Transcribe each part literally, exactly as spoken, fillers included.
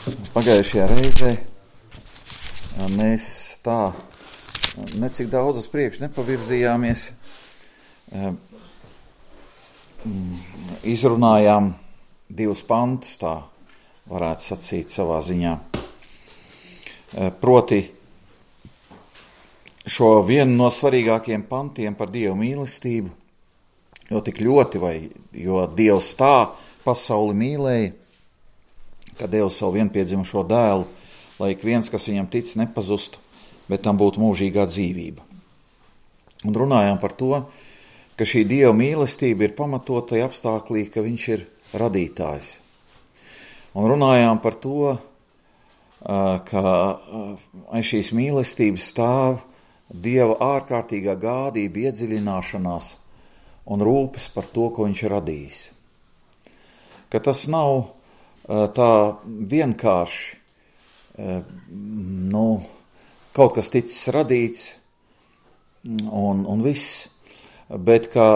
Pagājušajā reizē mēs tā necik daudz uz priekšu nepavirzījāmies, izrunājām divus pantus, tā varētu sacīt savā ziņā. Proti šo vienu no svarīgākiem pantiem par Dievu mīlestību, jo tik ļoti, vai jo Dievs tā pasauli mīlēja, ka Dievs savu vienpiedzimušo dēlu, lai ik viens, kas viņam tic, nepazustu, bet tam būtu mūžīgā dzīvība. Un runājām par to, ka šī Dieva mīlestība ir pamatota apstāklī, ka viņš ir radītājs. Un runājām par to, ka aiz šīs mīlestības stāv Dieva ārkārtīgā gādība, iedziļināšanās un rūpes par to, ko viņš ir radījis. Ka tas nav tā vienkārši, nu, kaut kas ticis radīts un, un viss, bet ka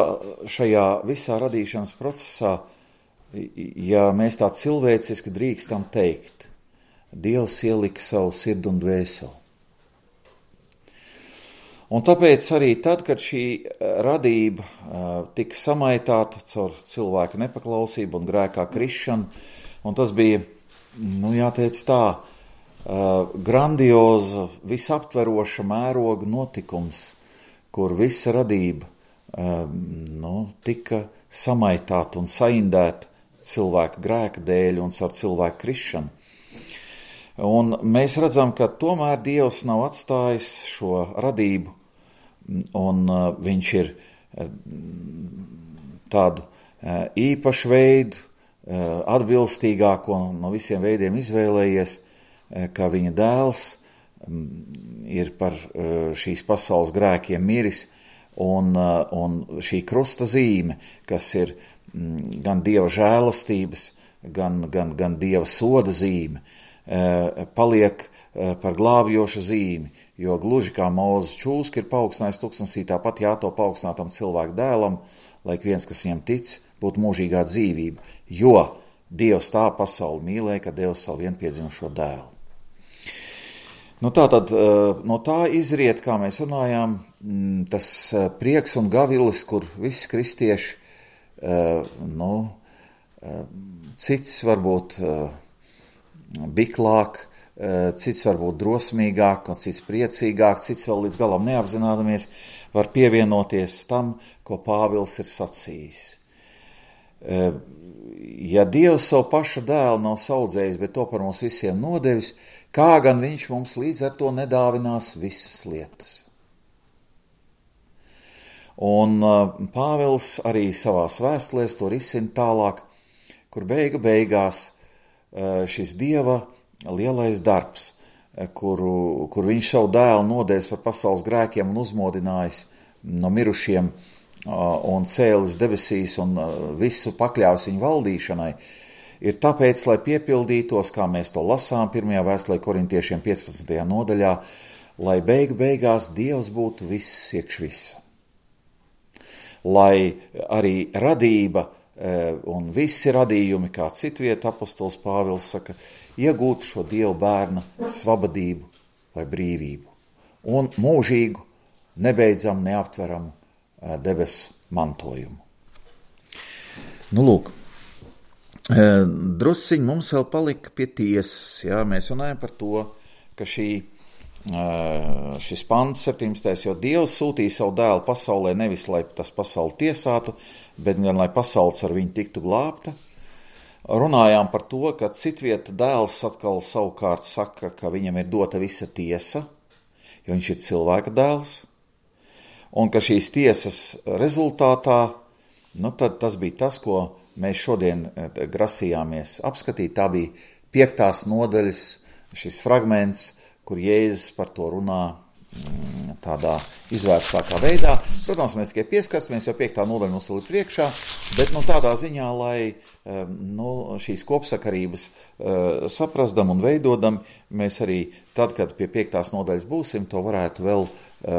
šajā visā radīšanas procesā, ja mēs tā cilvēciski drīkstam teikt, Dievs ielika savu sirdi un dvēseli. Un tāpēc arī tad, kad šī radība uh, tika samaitāta caur cilvēka nepaklausību un grēkā krišanu, un tas bija, nu jāteic tā, uh, grandioza, visaptveroša mēroga notikums, kur visa radība uh, nu, tika samaitāta un saindēta cilvēka grēka dēļ un caur cilvēka krišanu. Un mēs redzam, ka tomēr Dievs nav atstājis šo radību, un uh, viņš ir uh, tādu uh, īpašu veidu, uh, atbilstīgāko no visiem veidiem izvēlējies, uh, ka viņa dēls um, ir par uh, šīs pasaules grēkiem miris, un, uh, un šī krusta zīme, kas ir um, gan Dieva žēlastības, gan, gan, gan Dieva soda zīme, paliek par glābjošu zīmi, jo gluži kā Mūzes čūska ir paaugstinājis tuksnesī, tāpat jāto paaugstinātam cilvēku dēlam, lai viens, kas viņam tic, būtu mūžīgā dzīvība, jo Dievs tā pasauli mīlēja, ka Dievs savu vienpiedzimušo dēlu. Nu tā tad, no tā izriet, kā mēs runājām, tas prieks un gavilis, kur visi kristieši, nu, cits varbūt biklāk, cits varbūt drosmīgāk, un cits priecīgāk, cits vēl līdz galam neapzinādamies, var pievienoties tam, ko Pāvils ir sacījis. Ja Dievs savu paša dēlu nav saudzējis, bet to par mums visiem nodevis, kā gan viņš mums līdz ar to nedāvinās visas lietas? Un Pāvils arī savās vēstulēs to risina tālāk, kur beigu beigās šis Dieva lielais darbs, kuru, kur viņš savu dēlu nodevis par pasaules grēkiem un uzmodinājis no mirušiem un cēlis debesīs un visu pakļāvis viņu valdīšanai, ir tāpēc, lai piepildītos, kā mēs to lasām pirmajā vēstulē korintiešiem piecpadsmitajā nodaļā, lai beigu beigās Dievs būtu viss iekš visa. Lai arī radība un visi radījumi, kā citvieta apostols Pāvils saka, iegūtu šo Dievu bērna svabadību vai brīvību un mūžīgu, nebeidzam, neaptveramu debesu mantojumu. Nu, lūk, drusciņ mums vēl palika pie tiesas, jā, mēs runājam par to, ka šī, šis pants septiņdesmitais, jo Dievs sūtīja savu dēlu pasaulē nevis, lai tas pasauli tiesātu, bet gan, lai pasaules ar viņu tiktu glābta. Runājām par to, ka citvieta dēls atkal savukārt saka, ka viņam ir dota visa tiesa, jo viņš ir cilvēka dēls, un ka šīs tiesas rezultātā, nu tad tas bija tas, ko mēs šodien grasījāmies apskatīt. Tā bija piektās nodaļas, šis fragments, kur Jēzus par to runā tādā izvērstākā veidā. Protams, mēs tikai pieskastamies, jo piektā nodaļa mums vēl ir priekšā, bet nu, tādā ziņā, lai nu, šīs kopsakarības uh, saprasdam un veidodam, mēs arī tad, kad pie piektās nodaļas būsim, to varētu vēl uh,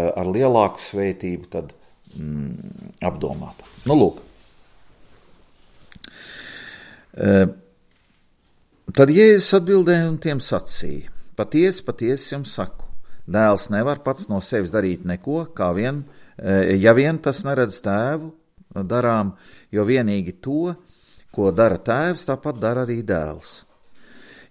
ar lielāku svētību tad mm, apdomāt. Nu, lūk. Uh, Tad Jēzus atbildēja un tiem sacīja: Patiesi, patiesi jums saku, dēls nevar pats no sevis darīt neko, kā vien, ja vien tas neredz tēvu darām, jo vienīgi to, ko dara tēvs, tāpat dara arī dēls.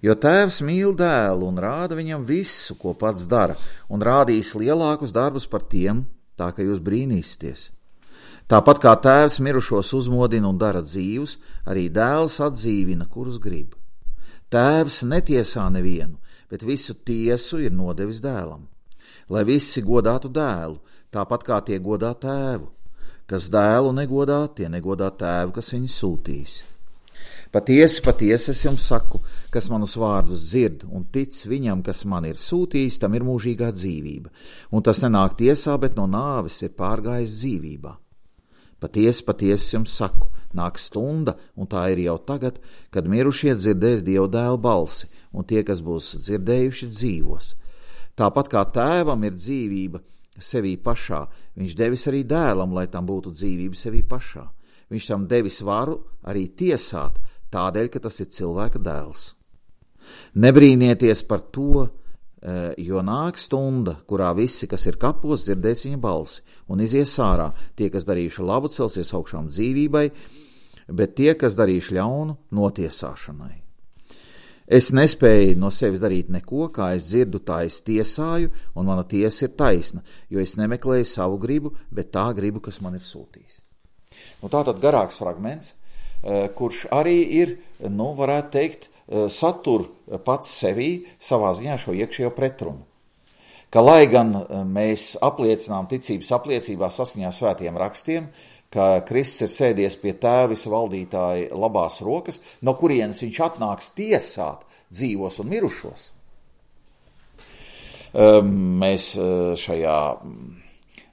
Jo tēvs mīl dēlu un rāda viņam visu, ko pats dara, un rādīs lielākus darbus par tiem, tā ka jūs brīnīsieties. Tāpat kā tēvs mirušos uzmodina un dara dzīvus, arī dēls atdzīvina, kurus grib. Tēvs netiesā nevienu, bet visu tiesu ir nodevis dēlam, lai visi godātu dēlu, tāpat kā tie godā tēvu. Kas dēlu negodā, tie negodā tēvu, kas viņu sūtīs. Patiesi, patiesi es jums saku, kas manus vārdus dzird un tic viņam, kas man ir sūtījis, tam ir mūžīgā dzīvība, un tas nenāk tiesā, bet no nāves ir pārgājis dzīvībā. Patiesi, patiesi jums saku, nāk stunda, un tā ir jau tagad, kad mirušie dzirdēs Dieva dēla balsi, un tie, kas būs dzirdējuši, dzīvos. Tāpat kā tēvam ir dzīvība sevī pašā, viņš devis arī dēlam, lai tam būtu dzīvība sevī pašā. Viņš tam devis varu arī tiesāt, tādēļ, ka tas ir cilvēka dēls. Nebrīnieties par to, jo nāk stunda, kurā visi, kas ir kapos, dzirdēs viņa balsi un izies ārā. Tie, kas darījuši labu, celsies augšām dzīvībai, bet tie, kas darījuši ļaunu, notiesāšanai. Es nespēju no sevis darīt neko, kā es dzirdu, tā es tiesāju, un mana tiesa ir taisna, jo es nemeklēju savu gribu, bet tā gribu, kas man ir sūtījis. Nu, tātad garāks fragments, kurš arī ir, nu, varētu teikt, satur pats sevī savā ziņā šo iekšējo pretrunu. Ka lai gan mēs apliecinām ticības apliecībā saskaņā svētiem rakstiem, ka Kristus ir sēdies pie tēva visa valdītāja labās rokas, no kurienes viņš atnāks tiesāt dzīvos un mirušos. Mēs šajā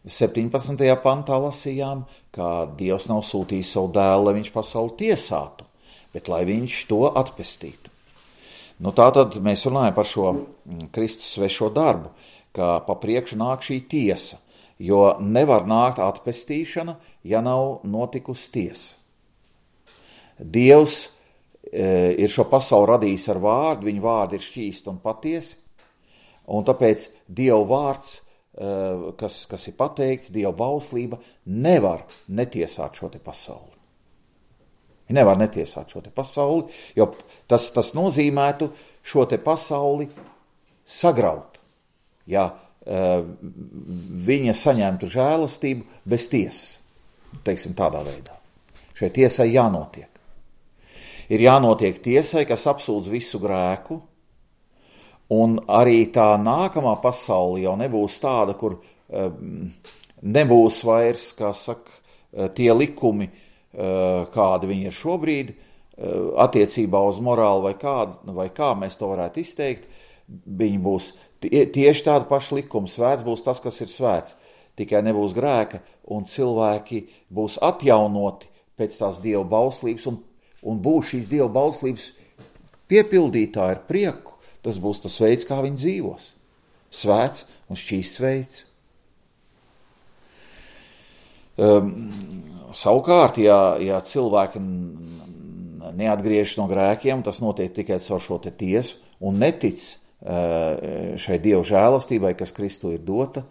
septiņpadsmitajā pantā lasījām, ka Dievs nav sūtījis savu dēlu, lai viņš pasauli tiesātu, bet lai viņš to atpestītu. Nu, tātad mēs runājam par šo Kristus svešo darbu, ka pa priekšu nāk šī tiesa, jo nevar nākt atpestīšana, ja nav notikusi tiesa. Dievs e, ir šo pasauli radījis ar vārdu, viņa vārdi ir šķīsti un patiesi, un tāpēc Dieva vārds, e, kas, kas ir pateikts, Dieva bauslība, nevar netiesāt šo te pasauli. Viņa nevar netiesāt šo te pasauli, jo tas, tas nozīmētu šo te pasauli sagraut, ja uh, viņa saņemtu žēlastību bez tiesas, teiksim tādā veidā. Šai tiesai jānotiek. Ir jānotiek tiesai, kas apsūdz visu grēku, un arī tā nākamā pasauli jau nebūs tāda, kur uh, nebūs vairs, kā saka, tie likumi, kādi viņi ir šobrīd, attiecībā uz morāli vai kā, vai kā mēs to varētu izteikt, viņi būs tie, tieši tādi paši likumi. Svēts būs tas, kas ir svēts, tikai nebūs grēka, un cilvēki būs atjaunoti pēc tās Dieva bauslības, un, un būs šīs Dieva bauslības piepildītāji ar prieku. Tas būs tas veids, kā viņi dzīvos. Svēts un šķīsts veids. Um, Savukārt, ja, ja cilvēki neatgriežas no grēkiem, tas notiek tikai caur šo te tiesu un netic šai Dieva žēlastībai, kas Kristu ir dota,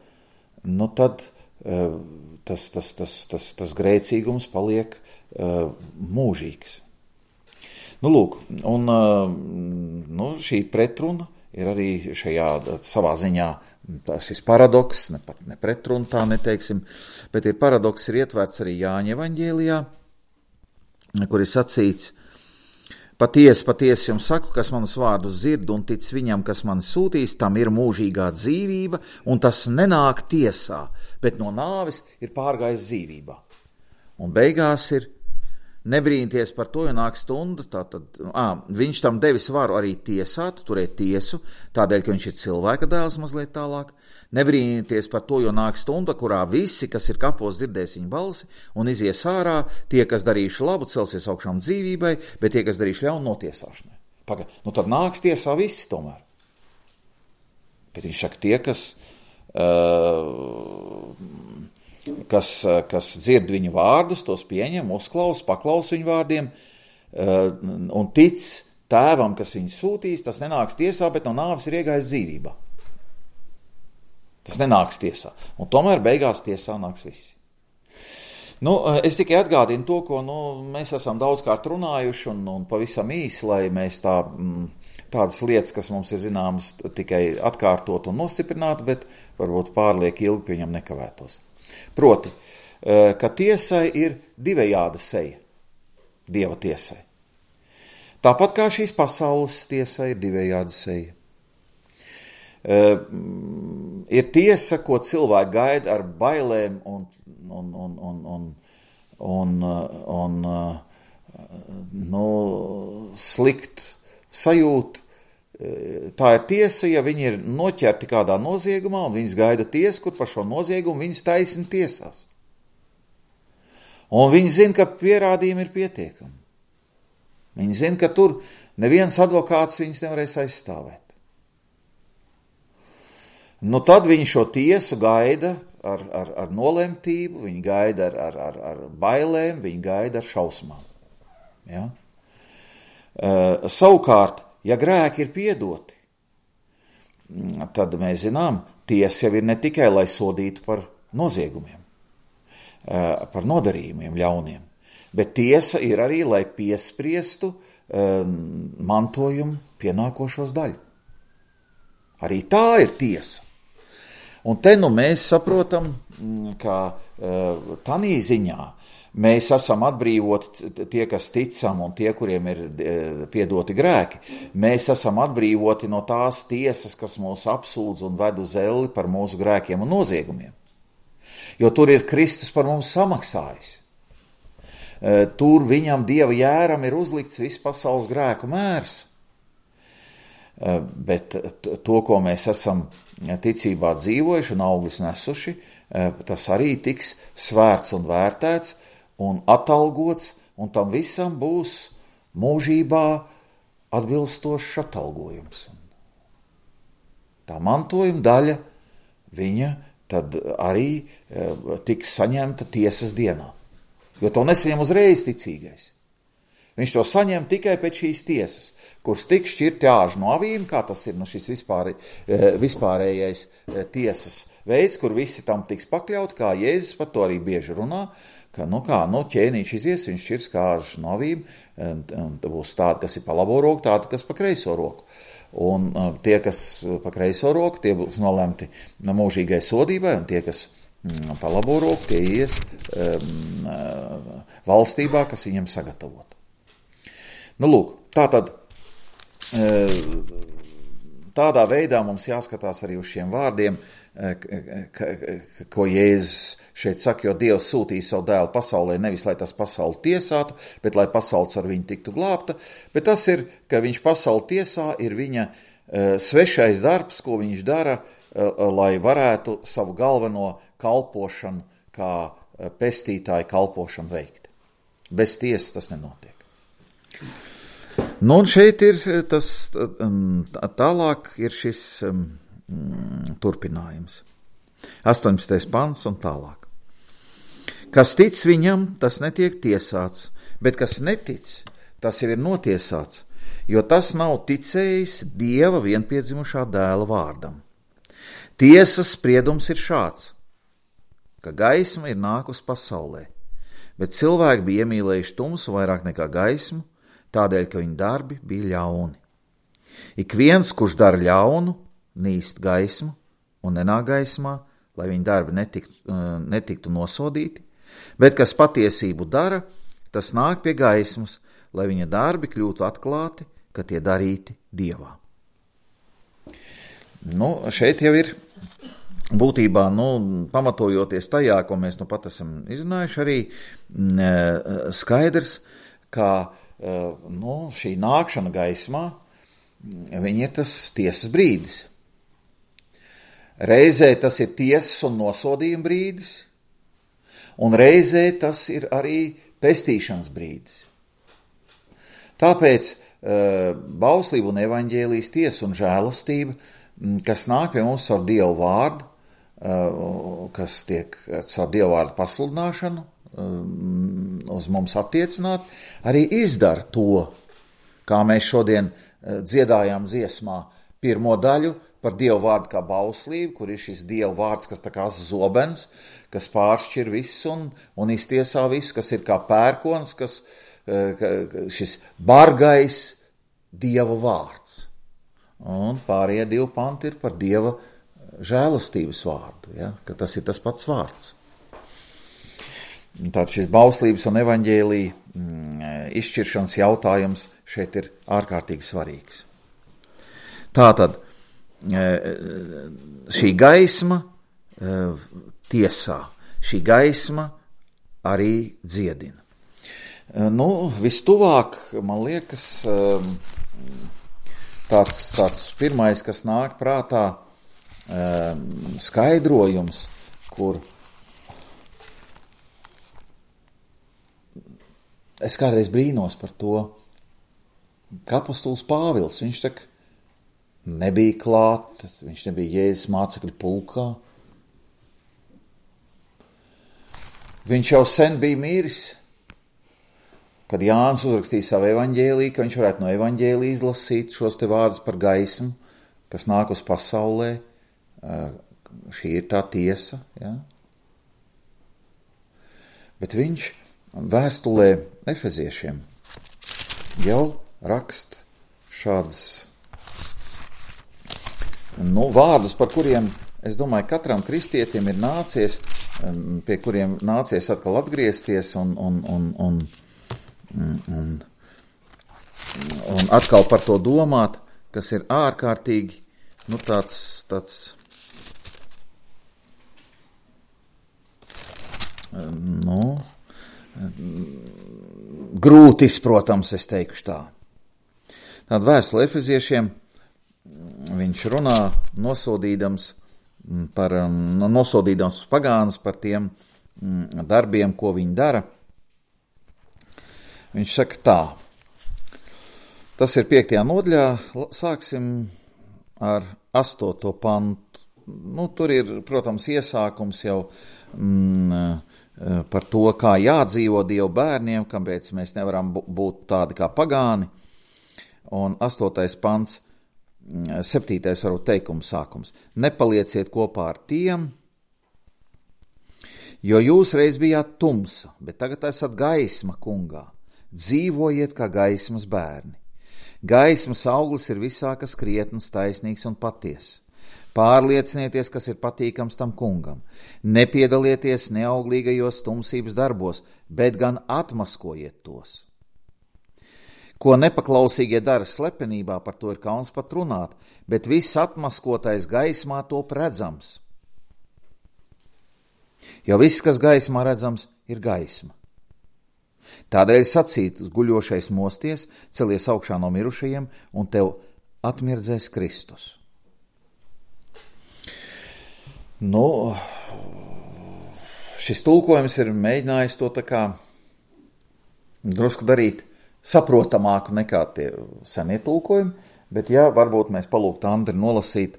nu tad tas, tas, tas, tas, tas grēcīgums paliek mūžīgs. Nu, lūk, un nu, šī pretruna ir arī šajā savā ziņā. Tas ir paradoks, ne, ne pretruna tā neteiksim, bet ir paradoks ir ietverts arī Jāņa evaņģēlijā, kur ir sacīts: Patiesi, patiesi jums saku, kas manus vārdus dzird un tic viņam, kas mani sūtīs, tam ir mūžīgā dzīvība, un tas nenāk tiesā, bet no nāves ir pārgājis dzīvībā. Un beigās ir: Nebrīnieties par to, jo nāk stunda, tātad, ā, viņš tam devis varu arī tiesāt, turēt tiesu, tādēļ, ka viņš ir cilvēka dēls mazliet tālāk. Nebrīnieties par to, jo nāk stunda, kurā visi, kas ir kapos, dzirdēs viņa balsi un izies ārā, tie, kas darījuši labu, celsies augšām dzīvībai, bet tie, kas darījuši ļaunu, notiesāšanai. Paga, nu tad nāks tiesā visi tomēr. Bet viņš saka, tie, kas... Uh, Kas, kas dzird viņu vārdus, tos pieņem, uzklaus, paklaus viņu vārdiem un tic tēvam, kas viņu sūtīs, tas nenāks tiesā, bet no nāves ir iegājis dzīvībā. Tas nenāks tiesā. Un tomēr beigās tiesā nāks visi. Nu, es tikai atgādinu to, ko nu, mēs esam daudzkārt runājuši, un, un pavisam īsi, lai mēs tā, tādas lietas, kas mums ir zināmas, tikai atkārtot un nostiprināt, bet varbūt pārliek ilgi pie viņam nekavētos. Proti, ka tiesai ir divējāda seja, Dieva tiesai. Tāpat kā šīs pasaules tiesai ir divējāda seja. Uh, ir tiesa, ko cilvēki gaida ar bailēm un, un, un, un, un, un, un uh, nu, slikt sajūt. Tā ir tiesa, ja viņi ir noķerti kādā noziegumā un viņas gaida tiesu, kur par šo noziegumu viņas taisni tiesās. Un viņi zina, ka pierādījumi ir pietiekami. Viņi zina, ka tur neviens advokāts viņas nevarēs aizstāvēt. Nu, tad viņi šo tiesu gaida ar, ar, ar nolemtību, viņi gaida ar, ar, ar, ar bailēm, viņi gaida ar šausmām. Ja? Uh, savukārt, ja grēki ir piedoti, tad mēs zinām, tiesa jau ir ne tikai, lai sodītu par noziegumiem, uh, par nodarījumiem ļauniem, bet tiesa ir arī, lai piespriestu um, mantojumu pienākošos daļu. Arī tā ir tiesa. Un te nu mēs saprotam, ka uh, tanī ziņā mēs esam atbrīvoti, tie, kas ticam un tie, kuriem ir uh, piedoti grēki, mēs esam atbrīvoti no tās tiesas, kas mūs apsūdz un ved uz elli par mūsu grēkiem un noziegumiem. Jo tur ir Kristus par mums samaksājis. Uh, tur viņam Dieva jēram ir uzlikts viss pasaules grēku mērs. Uh, bet to, ko mēs esam ticībā dzīvojuši un augļus nesuši, tas arī tiks svērts un vērtēts un atalgots, un tam visam būs mūžībā atbilstošs atalgojums. Tā mantojuma daļa, viņa tad arī tiks saņemta tiesas dienā. Jo to nesaņem uzreiz ticīgais. Viņš to saņem tikai pēc šīs tiesas, kurš tiks šķirti āži no avīm, kā tas ir nu, šis vispār, vispārējais tiesas veids, kur visi tam tiks pakļaut, kā Jēzus par to arī bieži runā, ka nu kā, nu ķēniņš izies, viņš šķirs kā āži no avīm, un, un būs tādi, kas ir pa labo roku, tādi, kas pa kreiso roku. Un tie, kas pa kreiso roku, tie būs nolemti mūžīgai sodībai, un tie, kas pa labo roku, tie ies um, valstībā, kas viņam sagatavot. Nu lūk, tātad tādā veidā mums jāskatās arī uz šiem vārdiem, ko Jēzus šeit saka, jo Dievs sūtīja savu dēlu pasaulē nevis, lai tas pasauli tiesātu, bet lai pasaules ar viņu tiktu glābta, bet tas ir, ka viņš pasauli tiesā, ir viņa svešais darbs, ko viņš dara, lai varētu savu galveno kalpošanu, kā pestītāju kalpošanu veikt. Bez tiesas tas nenotiek. Nu, un šeit ir tas, tālāk ir šis um, turpinājums. astoņpadsmitais pants un tālāk. Kas tic viņam, tas netiek tiesāts, bet kas netic, tas jau ir notiesāts, jo tas nav ticējis Dieva vienpiedzimušā dēla vārdam. Tiesas spriedums ir šāds, ka gaisma ir nākus pasaulē, bet cilvēki bija iemīlējuši tumsu vairāk nekā gaismu, tādēļ, ka viņa darbi bija ļauni. Ik viens, kurš dara ļaunu, nīst gaismu un nenāk gaismā, lai viņa darbi netiktu, netiktu nosodīti, bet kas patiesību dara, tas nāk pie gaismas, lai viņa darbi kļūtu atklāti, ka tie darīti Dievā. Nu, šeit jau ir būtībā, nu, pamatojoties tajā, ko mēs nu pat esam izrunājuši, arī skaidrs, ka nu, šī nākšana gaismā, viņa ir tas tiesas brīdis. Reizē tas ir tiesas un nosodījuma brīdis, un reizē tas ir arī pestīšanas brīdis. Tāpēc bauslība un evaņģēlijas tiesa un žēlastība, kas nāk pie mums ar Dievu vārdu, kas tiek ar Dievu vārdu pasludināšanu, uz mums attiecināt, arī izdara to, kā mēs šodien dziedājām dziesmā pirmo daļu par Dievu vārdu kā bauslību, kur ir šis Dievu vārds, kas tā kā zobens, kas pāršķir visu un, un iztiesā visu, kas ir kā pērkons, kas šis bargais Dieva vārds. Un pārējie divi panti ir par Dieva žēlastības vārdu, ja? Ka tas ir tas pats vārds. Tātad šis bauslības un evaņģēlija mm, izšķiršanas jautājums šeit ir ārkārtīgi svarīgs. Tātad šī gaisma tiesā, šī gaisma arī dziedina. Nu, vistuvāk, man liekas, tāds, tāds pirmais, kas nāk prātā, skaidrojums, kur es kādreiz brīnos par to, ka apostols Pāvils, viņš tak nebija klāt, viņš nebija Jēzus mācekļu pulkā. Viņš jau sen bija miris, kad Jānis uzrakstīja savu evaņģēliju, ka viņš varētu no evaņģēlija izlasīt šos te vārdus par gaismu, kas nāk uz pasaulē. Šī ir tā tiesa, ja? Bet viņš vēstulē Efeziešiem jau rakst šādas nu, vārdus, par kuriem, es domāju, katram kristietim ir nācies, pie kuriem nācies atkal atgriezties un, un, un, un, un, un atkal par to domāt, kas ir ārkārtīgi, nu, tāds, tāds, nu, grūtis, protams, es teikšu tā. Tāda vēstule Efeziešiem, viņš runā nosodīdams par, nosodīdams pagānus par tiem darbiem, ko viņi dara. Viņš saka tā, tas ir piektajā nodaļā, sāksim ar astoto pantu. Nu, tur ir, protams, iesākums jau mm, par to, kā jādzīvo Dievu bērniem, kāpēc mēs nevaram būt tādi kā pagāni. Un astotais pants, septītais varbūt teikums sākums. Nepalieciet kopā ar tiem, jo jūs reiz bijāt tumsa, bet tagad esat gaisma kungā. Dzīvojiet kā gaismas bērni. Gaismas auglis ir visā, kas krietns, taisnīgs un patiess. Pārliecinieties, kas ir patīkams tam kungam. Nepiedalieties neauglīgajos tumsības darbos, bet gan atmaskojiet tos. Ko nepaklausīgie dara slepenībā, par to ir kauns pat runāt, bet viss atmaskotais gaismā top redzams. Jo viss, kas gaismā redzams, ir gaisma. Tādēļ sacīt guļošais mosties, celies augšā no mirušajiem, un tev atmirdzēs Kristus. Nu, šis tulkojums ir mēģinājis to tā kā drusku darīt saprotamāku nekā tie senie tulkojumi, bet jā, varbūt mēs palūgtu Andri nolasīt,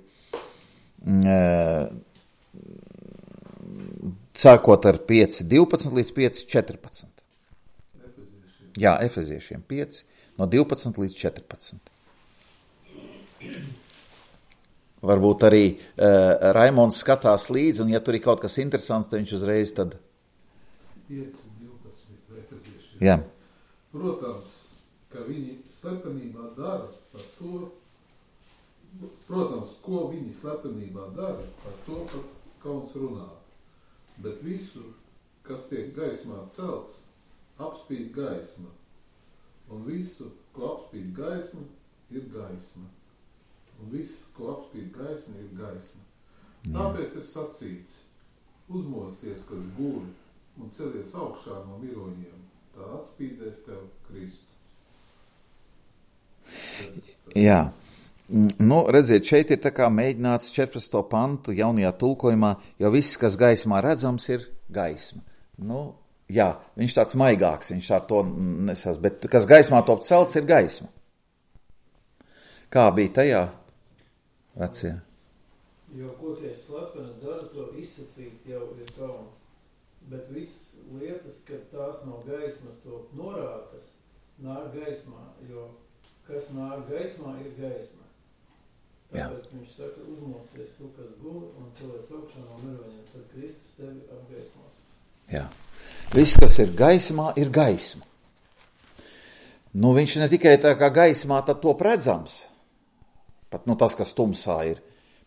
sākot ar pieci divpadsmit līdz pieci četrpadsmit. Efeziešiem. Jā, Efeziešiem pieci, no divpadsmit līdz četrpadsmit. Varbūt arī uh, Raimonds skatās līdzi, un ja tur ir kaut kas interesants, tad viņš uzreiz tad... pieci divpadsmit Efeziešiem. Jā. Protams, ka viņi slepenībā dara par to, protams, ko viņi slepenībā dara, par to, par kauns runāt. Bet visu, kas tiek gaismā celts, apspīd gaisma. Un visu, ko apspīd gaisma, ir gaisma. Un viss, ko apspīd gaisma, ir gaisma. Tāpēc ir sacīts, uzmosties, kas guļ, un celies augšā no miroņiem, tā atspīdēs tev Kristus. Jā, nu, redziet, šeit ir tā kā mēģināts četrpadsmito pantu jaunajā tulkojumā, jo viss, kas gaismā redzams, ir gaisma. Nu, jā, viņš tāds maigāks, viņš tā to nesās, bet kas gaismā top celts, ir gaisma. Kā bija tajā vecie? Jo, ko tie slepeni dara, to izsacīt jau ir kauns. Bet visas lietas, kad tās no gaismas to norātas, nāk gaismā, jo kas nāk gaismā, ir gaisma. Jā. Tāpēc viņš saka, uzmosties tu, kas guli, un cilvēks augšā no miroņiem, tad Kristus tevi apgaismos. Jā. Viss, kas ir gaismā, ir gaisma. Nu, viņš ne tikai tā kā gaismā, tad top redzams, pat nu tas, kas tumsā ir,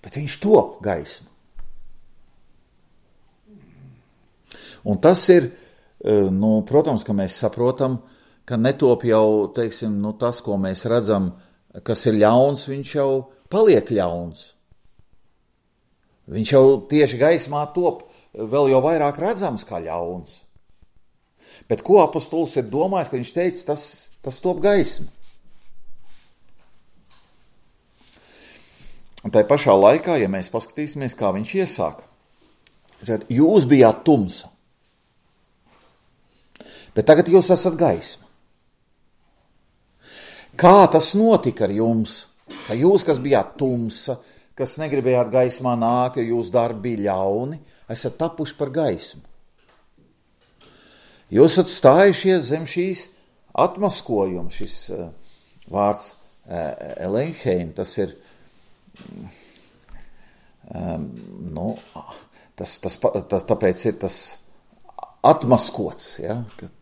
bet viņš top gaisma. Un tas ir, nu, protams, ka mēs saprotam, ka netop jau, teiksim, nu, tas, ko mēs redzam, kas ir ļauns, viņš jau paliek ļauns. Viņš jau tieši gaismā top vēl jau vairāk redzams kā ļauns. Bet ko apostols ir domājis, ka viņš teica, tas, tas top gaisma. Un tai pašā laikā, ja mēs paskatīsimies, kā viņš iesāka, tad jūs bijāt tumsa, bet tagad jūs esat gaisma. Kā tas notika ar jums? Ka jūs, kas bijāt tumsa, kas negribējāt gaismā nākt, jo jūs darbi bija ļauni, esat tapuši par gaismu. Jūs esat stājušies zem šīs atmaskojuma, šis uh, vārds uh, elenheim, tas ir, um, nu, tas, tas, tas, tāpēc ir tas atmaskots, ja, kad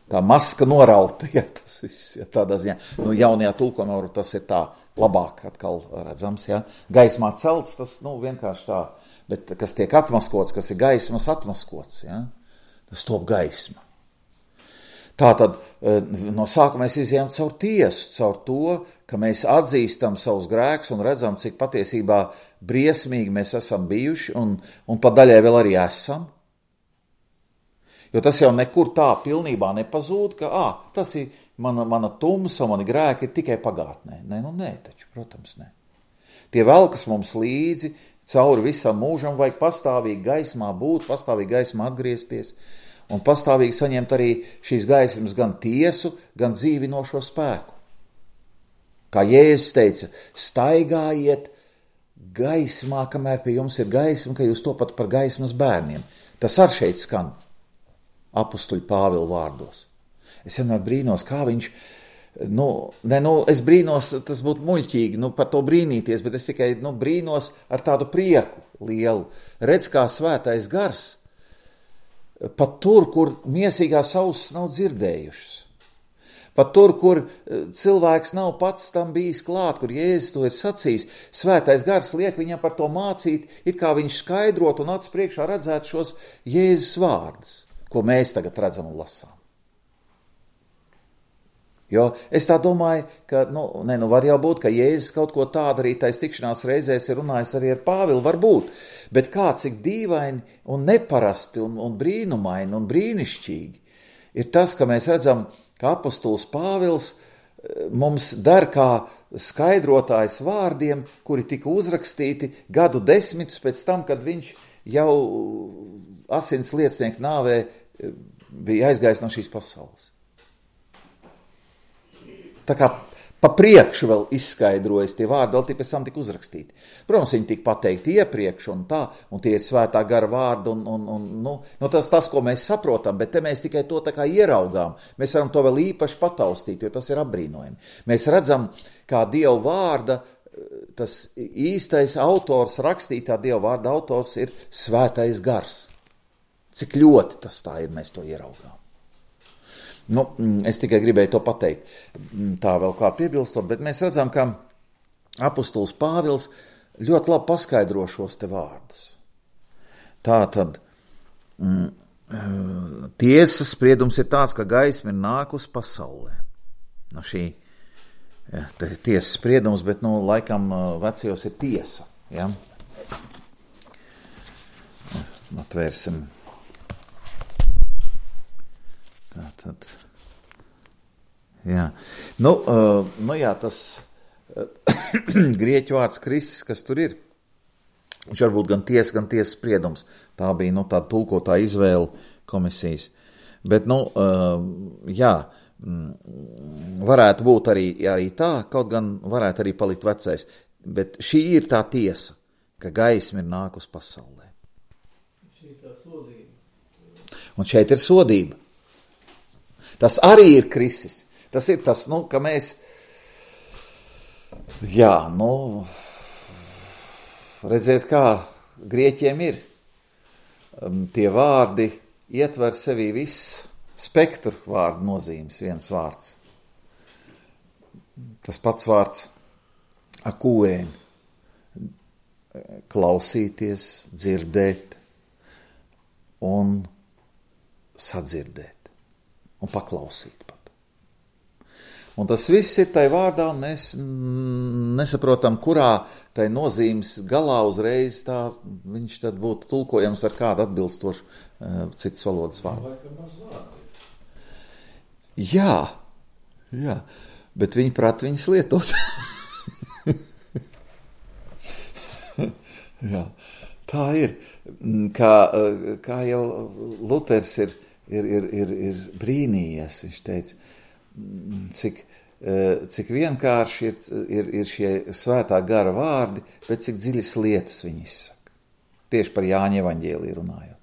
tā maska norauta, ja, tas viss, ja, tādā ziņā. Nu, jaunajā tulkojumā tas ir tā labāk atkal redzams, ja. Gaismā celts, tas, nu, vienkārši tā, bet kas tiek atmaskots, kas ir gaismas atmaskots, ja, tas top gaisma. Tātad no sākuma mēs izjām caur tiesu, caur to, ka mēs atzīstam savus grēkus un redzam, cik patiesībā briesmīgi mēs esam bijuši un, un pa daļai vēl arī esam. Jo tas jau nekur tā pilnībā nepazūd, ka ā, tas ir mana, mana tumsa, mani grēki ir tikai pagātnē. Nē, nu nē, taču, protams, nē. Tie velkas mums līdzi, cauri visam mūžam vajag pastāvīgi gaismā būt, pastāvīgi gaismā atgriezties un pastāvīgi saņemt arī šīs gaismas gan tiesu, gan dzīvinošo spēku. Kā Jēzus teica, staigājiet gaismā, kamēr pie jums ir gaisma, ka jūs topat par gaismas bērniem. Tas ar šeit skan apustuļu Pāvila vārdos. Es vienmēr brīnos, kā viņš, nu, ne, nu, es brīnos, tas būtu muļķīgi, nu, par to brīnīties, bet es tikai, nu, brīnos ar tādu prieku lielu. Redz, kā svētais gars, pat tur, kur miesīgās ausis nav dzirdējušas. Pat tur, kur cilvēks nav pats tam bijis klāt, kur Jēzus to ir sacījis, svētais gars liek viņam par to mācīt, it kā viņš skaidrot un acu priekšā redzētu šos Jēzus vārdus, ko mēs tagad redzam un lasām. Jo es tā domāju, ka, nu, ne, nu var jau būt, ka Jēzus kaut ko tādu arī tais tikšanās reizēs ir runājis arī ar Pāvilu, var būt, bet kā cik dīvaini un neparasti un, un brīnumaini un brīnišķīgi ir tas, ka mēs redzam, ka apostols Pāvils mums der kā skaidrotājs vārdiem, kuri tika uzrakstīti gadu desmitus pēc tam, kad viņš jau asins liecinieku nāvē bija aizgājis no šīs pasaules. Tā kā pa priekšu vēl izskaidrojas tie vārdi, vēl tie pēc tam tika uzrakstīti. Protams, viņi tika pateikti iepriekš un tā, un tie ir svētā gara vārdi, un, un, un nu, nu tas, tas, ko mēs saprotam, bet te mēs tikai to tā kā ieraugām. Mēs varam to vēl īpaši pataustīt, jo tas ir apbrīnojami. Mēs redzam, kā Dieva vārda, tas īstais autors, rakstītā Dieva vārda autors ir svētais gars. Cik ļoti tas tā ir, mēs to ieraugām. Nu, es tikai gribēju to pateikt, tā vēl kā piebilstot, bet mēs redzam, ka apostols Pāvils ļoti labi paskaidro šos te vārdus. Tā tad mm, tiesas spriedums ir tāds, ka gaisma ir nākus pasaulē. Nu, šī tiesas spriedums, bet, nu, laikam vecajos ir tiesa, ja? Atvērsim. Tā tad, jā, nu, uh, nu jā, tas uh, grieķu vārds Kristus, kas tur ir, viņš var būt gan tiesa, gan tiesas spriedums, tā bija, nu, tāda tulkotā izvēle komisijas, bet, nu, uh, jā, varētu būt arī, arī tā, kaut gan varētu arī palikt vecais, bet šī ir tā tiesa, ka gaisma ir nākus pasaulē. Šī ir tā sodība. Un šeit ir sodība. Tas arī ir Kristus. Tas ir tas, nu, ka mēs, Jā, nu, redziet, kā grieķiem ir. Tie vārdi ietver sevī viss spektru vārdu nozīmes, viens vārds. Tas pats vārds akūēn, klausīties, dzirdēt un sadzirdēt un paklausīt pat. Un tas viss ir tai vārdā, un mēs nesaprotam, kurā tai nozīmes galā uzreiz tā viņš tad būtu tulkojams ar kādu atbilstošu uh, citas valodas vārdu. Jā, jā, bet viņi prāt viņas lietot. Jā, tā ir. Kā, kā jau Luters ir, ir, ir, ir, ir brīnījies, viņš teica, cik cik vienkārši ir, ir, ir šie svētā gara vārdi, bet cik dziļas lietas viņi izsaka. Tieši par Jāņa evaņģēliju runājot.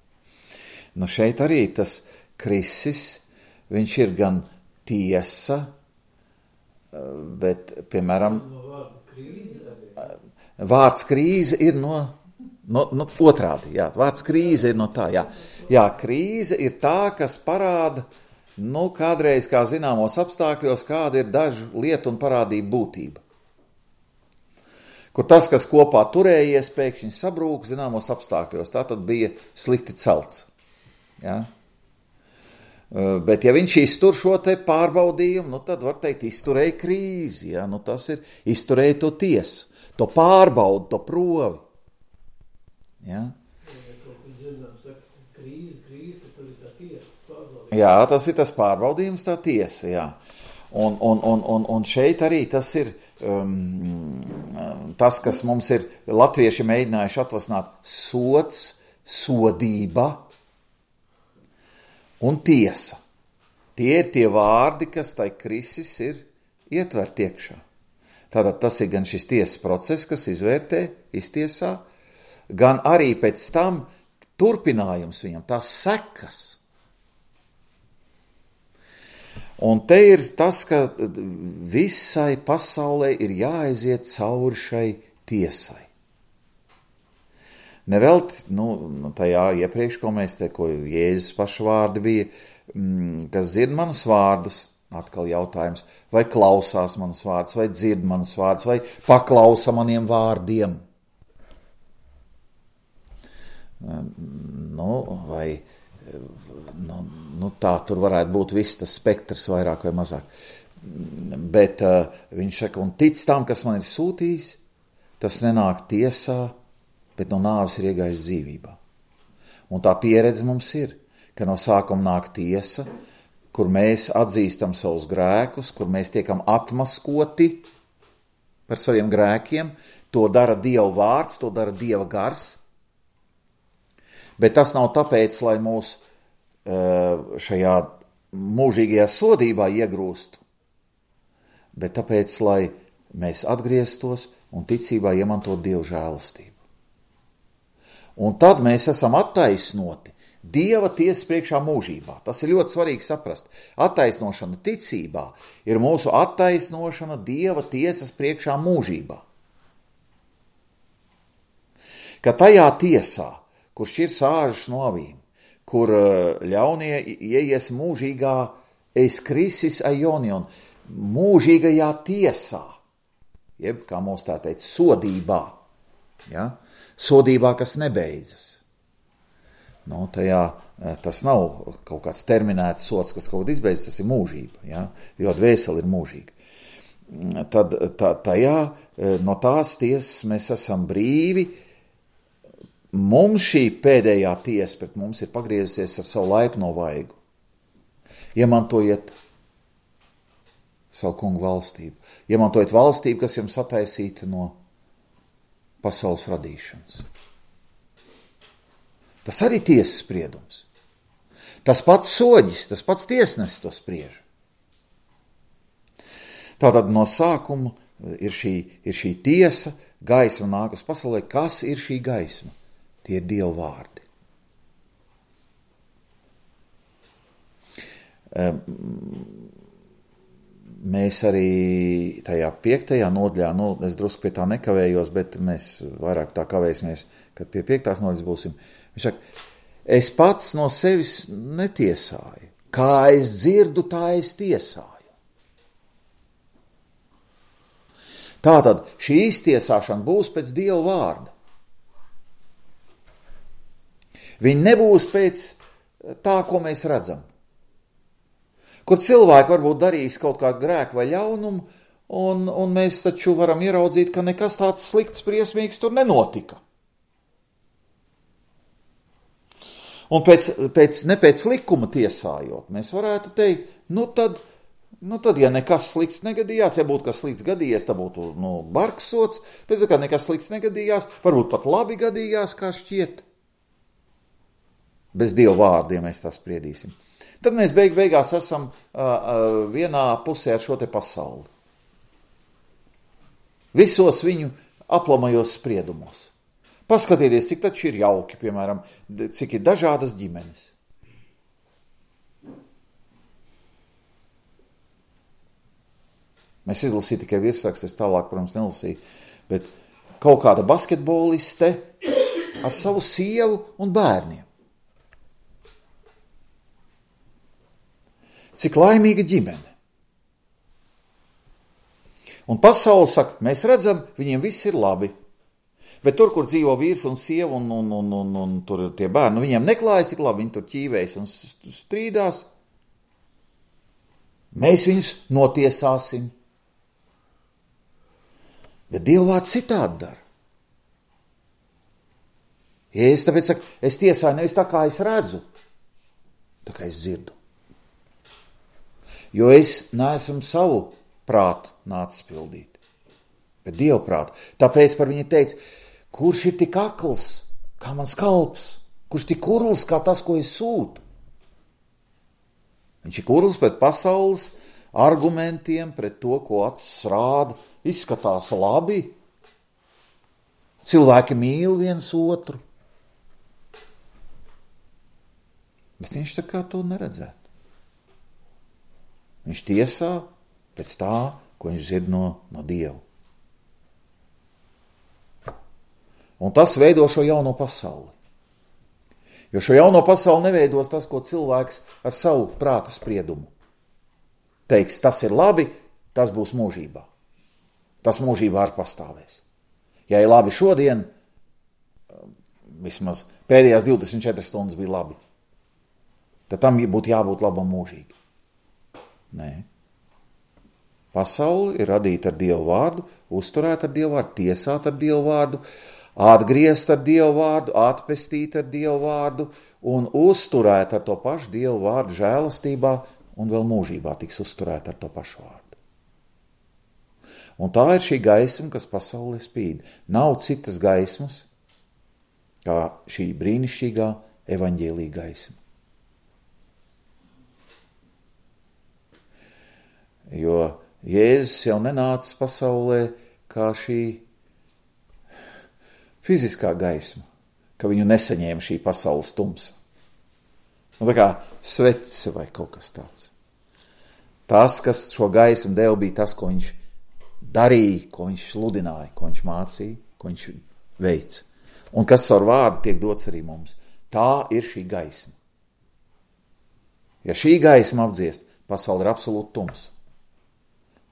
Nu šeit arī tas Kristis, viņš ir gan tiesa, bet, piemēram, vārds krīze ir no, no, no otrādi, jā, vārds krīze ir no tā, jā. Jā, krīze ir tā, kas parāda, nu, kādreiz, kā zināmos apstākļos, kāda ir dažu lietu un parādību būtība. Kur tas, kas kopā turējies, pēkšņi sabrūk zināmos apstākļos, tā tad bija slikti celts. Ja? Bet ja viņš iztur šo te pārbaudījumu, nu tad var teikt, izturēja krīzi, ja? Nu, tas ir izturēja to tiesu, to pārbaudu, to provi. Ja? Jā, tas ir tas pārbaudījums, tā tiesa, jā. Un, un, un, un, un šeit arī tas ir um, tas, kas mums ir latvieši mēģinājuši atvasināt, sods, sodība un tiesa. Tie ir tie vārdi, kas tai Kristis ir ietvert iekšā. Tātad tas ir gan šis tiesas process, kas izvērtē, iztiesā, gan arī pēc tam turpinājums viņam, tās sekas. Un te ir tas, ka visai pasaulē ir jāaiziet cauri šai tiesai. Nevelti, nu, tajā iepriekš, ko mēs te, ko Jēzus paša vārdi bija, kas dzird manus vārdus, atkal jautājums, vai klausās manus vārdus, vai dzird manus vārdus, vai paklausa maniem vārdiem. Nu, vai... Nu, nu tā tur varētu būt viss tas spektrs vairāk vai mazāk. Bet uh, viņš saka, un tic tam, kas man ir sūtījis, tas nenāk tiesā, bet no nāves ir iegājis dzīvībā. Un tā pieredze mums ir, ka no sākuma nāk tiesa, kur mēs atzīstam savus grēkus, kur mēs tiekam atmaskoti par saviem grēkiem, to dara Dieva vārds, to dara Dieva gars. Bet tas nav tāpēc, lai mūs šajā mūžīgajā sodībā iegrūstu, bet tāpēc, lai mēs atgrieztos un ticībā iemantot Dieva žēlastību. Un tad mēs esam attaisnoti Dieva tiesas priekšā mūžībā. Tas ir ļoti svarīgi saprast. Attaisnošana ticībā ir mūsu attaisnošana Dieva tiesas priekšā mūžībā. Ka tajā tiesā, kur šķir sāžas no avīm, kur ļaunie ieies mūžīgā eis krisis aionion, mūžīgajā tiesā, jeb, kā mums tā teica, sodībā, ja? Sodībā, kas nebeidzas. Nu, tajā tas nav kaut kāds terminēts sods, kas kaut kā izbeidzas, tas ir mūžība, ja? Jo dvēseli ir mūžīga. Tad tā, tajā, no tās tiesas mēs esam brīvi. Mums šī pēdējā tiesa pret mums ir pagriezusies ar savu laipno vaigu. Iemantojiet savu kungu valstību. Iemantojiet valstību, kas jums attaisīta no pasaules radīšanas. Tas arī tiesas spriedums. Tas pats soģis, tas pats tiesnesis to spriež. Tātad no sākuma ir šī, ir šī tiesa, gaisma nāk uz pasaulē. Kas ir šī gaisma? Tie ir Dieva vārdi. mēs arī tajā piektajā nodaļā, nu, es drusku pie tā nekavējos, bet mēs vairāk tā kavēsimies, kad pie piektās nodaļas būsim. Viņš saka, es pats no sevis netiesāju. Kā es dzirdu, tā es tiesāju. Tātad šī iztiesāšana būs pēc Dieva vārda. Viņa nebūs pēc tā, ko mēs redzam. Kur cilvēki varbūt darīs kaut kādu grēku vai ļaunumu, un, un mēs taču varam ieraudzīt, ka nekas tāds slikts, briesmīgs tur nenotika. Un pēc, pēc, ne pēc likuma tiesājot, mēs varētu teikt, nu tad, nu tad, ja nekas slikts negadījās, ja būtu kas slikts gadījies, tad būtu, nu, bargsots, bet, ja nekas slikts negadījās, varbūt pat labi gadījās, kā šķiet. Bez Dieva vārda, ja mēs tā spriedīsim. Tad mēs beig beigās esam uh, uh, vienā pusē ar šo te pasauli. Visos viņu aplamajos spriedumos. Paskatieties, cik taču ir jauki, piemēram, cik ir dažādas ģimenes. Mēs izlasīju tikai virsrakstu, es tālāk, protams, nelasīju, bet kaut kāda basketboliste ar savu sievu un bērniem. Cik laimīga ģimene. Un pasaule saka, mēs redzam, viņiem viss ir labi. Bet tur, kur dzīvo vīrs un sieva un, un, un, un, un tur tie bērni, viņiem neklājas tik labi, viņi tur ķīvējas un strīdās. Mēs viņus notiesāsim. Bet Dieva vārds citādi dara. Ja es tāpēc saku, es tiesāju nevis tā, kā es redzu, tā kā es dzirdu. Jo es neesmu savu prātu nācis pildīt, bet Dievu prātu. Tāpēc par viņu teica, kurš ir tik akls, kā mans kalps, kurš tik kurls, kā tas, ko es sūtu. Viņš ir kurls pret pasaules argumentiem, pret to, ko acis rāda, izskatās labi. Cilvēki mīl viens otru. Bet viņš tā kā to neredzētu. Viņš tiesā pēc tā, ko viņš dzird no, no Dieva. Un tas veido šo jauno pasauli. Jo šo jauno pasauli neveidos tas, ko cilvēks ar savu prāta spriedumu teiks, tas ir labi, tas būs mūžībā. Tas mūžībā arī pastāvēs. Ja ir labi šodien, vismaz pēdējās divdesmit četras stundas bija labi, tad tam būtu jābūt labam mūžīgi. Nē. Pasauli ir radīta ar Dievu vārdu, uzturēta ar Dievu vārdu, tiesāta ar Dievu vārdu, atgriezt ar Dievu vārdu, atpestīt ar Dievu vārdu un uzturēt ar to pašu Dievu vārdu žēlastībā un vēl mūžībā tiks uzturēt ar to pašu vārdu. Un tā ir šī gaisma, kas pasaulē spīd. Nav citas gaismas, kā šī brīnišķīgā evaņģēlija gaisma. Jo Jēzus jau nenāca pasaulē kā šī fiziskā gaisma, ka viņu nesaņēma šī pasaules tumsa. Nu, tā kā svece vai kaut kas tāds. Tas, kas šo gaismu deva, bija tas, ko viņš darīja, ko viņš sludināja, ko viņš mācīja, ko viņš veica. Un kas ar vārdu tiek dots arī mums. Tā ir šī gaisma. Ja šī gaisma apdziest, pasaule ir absolūti tums.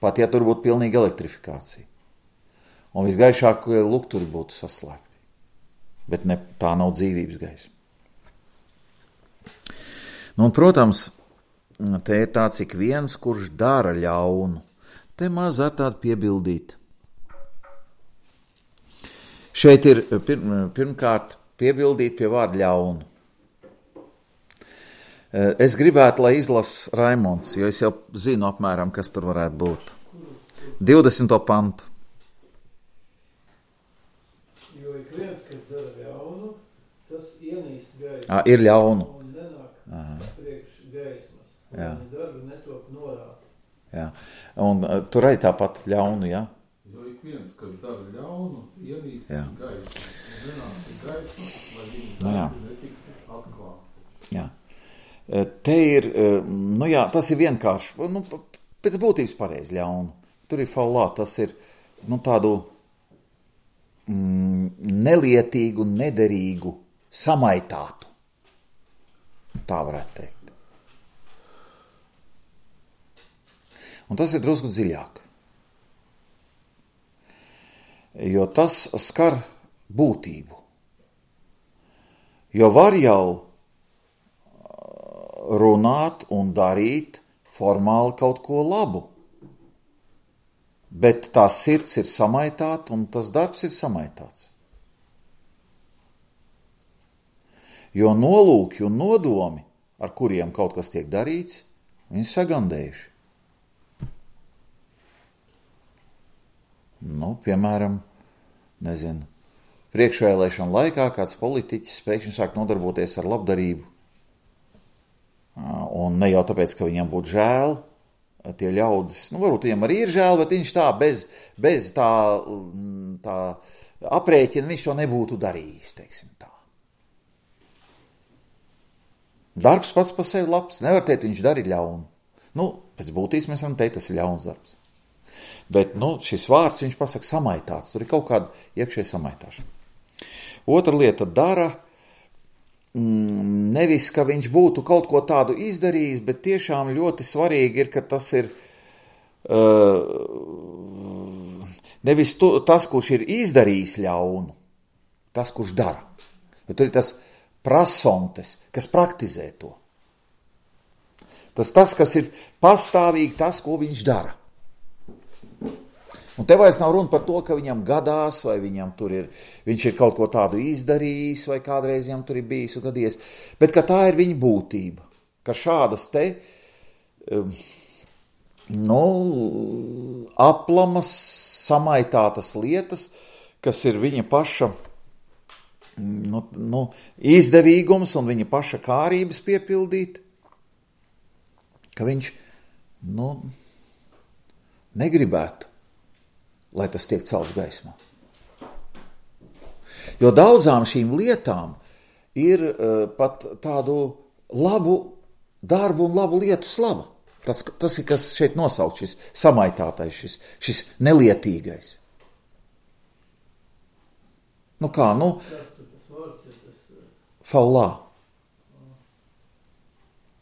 Pat ja tur būtu pilnīga elektrifikācija. Un visgaišākie lukturi būtu saslēgti. Bet ne, tā nav dzīvības gaisma. Nu, un, protams, te ir tāds ik viens, kurš dara ļaunu. Te maz ar tādu piebildīt. Šeit ir pirm, pirmkārt piebildīt pie vārda ļaunu. Es gribētu, lai izlas Raimonds, jo es jau zinu apmēram, kas tur varētu būt. divdesmito pantu. Jo ik viens, kas dara ļaunu, tas ienīst gaismu. À, ir ļaunu. Un nenāk Aha. priekš gaismas. Un Jā. viņa darbi netop norāti. Jā. Un uh, tur arī tāpat ļaunu, jā? Jo ik viens, kas dara ļaunu, ienīst Jā. gaismu. Un nenāk gaismu, lai viņa Nu, jā. darbi netiktu atklāti. Jā. Te ir, nu jā, tas ir vienkārši, nu, pēc būtības pareizi ļaunu. Tur ir faulā, tas ir, nu, tādu mm, nelietīgu, nederīgu, samaitātu. Tā varētu teikt. Un tas ir drusku dziļāk. Jo tas skar būtību. Jo var jau runāt un darīt formāli kaut ko labu, bet tā sirds ir samaitāta un tas darbs ir samaitāts. Jo nolūki un nodomi, ar kuriem kaut kas tiek darīts, viņi sagandējuši. Nu, piemēram, nezinu, priekšvēlēšana laikā kāds politiķis pēkšņi sāk nodarboties ar labdarību. Un ne jau tāpēc, ka viņam būtu žēl, tie ļaudis, nu, varbūt viņam arī ir žēl, bet viņš tā bez, bez tā, tā aprēķina, viņš to nebūtu darījis, teiksim tā. Darbs pats par sevi labs, nevar teikt, viņš darīja ļaunu. Nu, pēc būtības mēs varam teikt, tas ir ļauns darbs. Bet, nu, šis vārds, viņš pasaka samaitāts, tur ir kaut kāda iekšēja samaitāšana. Otra lieta dara, mm, nevis, ka viņš būtu kaut ko tādu izdarījis, bet tiešām ļoti svarīgi ir, ka tas ir uh, nevis tu, tas, kurš ir izdarījis ļaunu, tas, kurš dara. Bet tur ir tas prasontes, kas praktizē to. Tas tas, kas ir pastāvīgi tas, ko viņš dara. Un te vairs nav runa par to, ka viņam gadās, vai viņam tur ir, viņš ir kaut ko tādu izdarījis, vai kādreiz viņam tur ir bijis un gadies, bet ka tā ir viņa būtība, ka šādas te, nu, aplamas, samaitātas lietas, kas ir viņa paša, nu, nu, izdevīgums un viņa paša kārības piepildīt, ka viņš, nu, negribētu, lai tas tiek celts gaismā. Jo daudzām šīm lietām ir uh, pat tādu labu darbu un labu lietu slava. Tas, tas ir, kas šeit nosaukt, šis samaitātais, šis, šis nelietīgais. Nu kā, nu, faulā.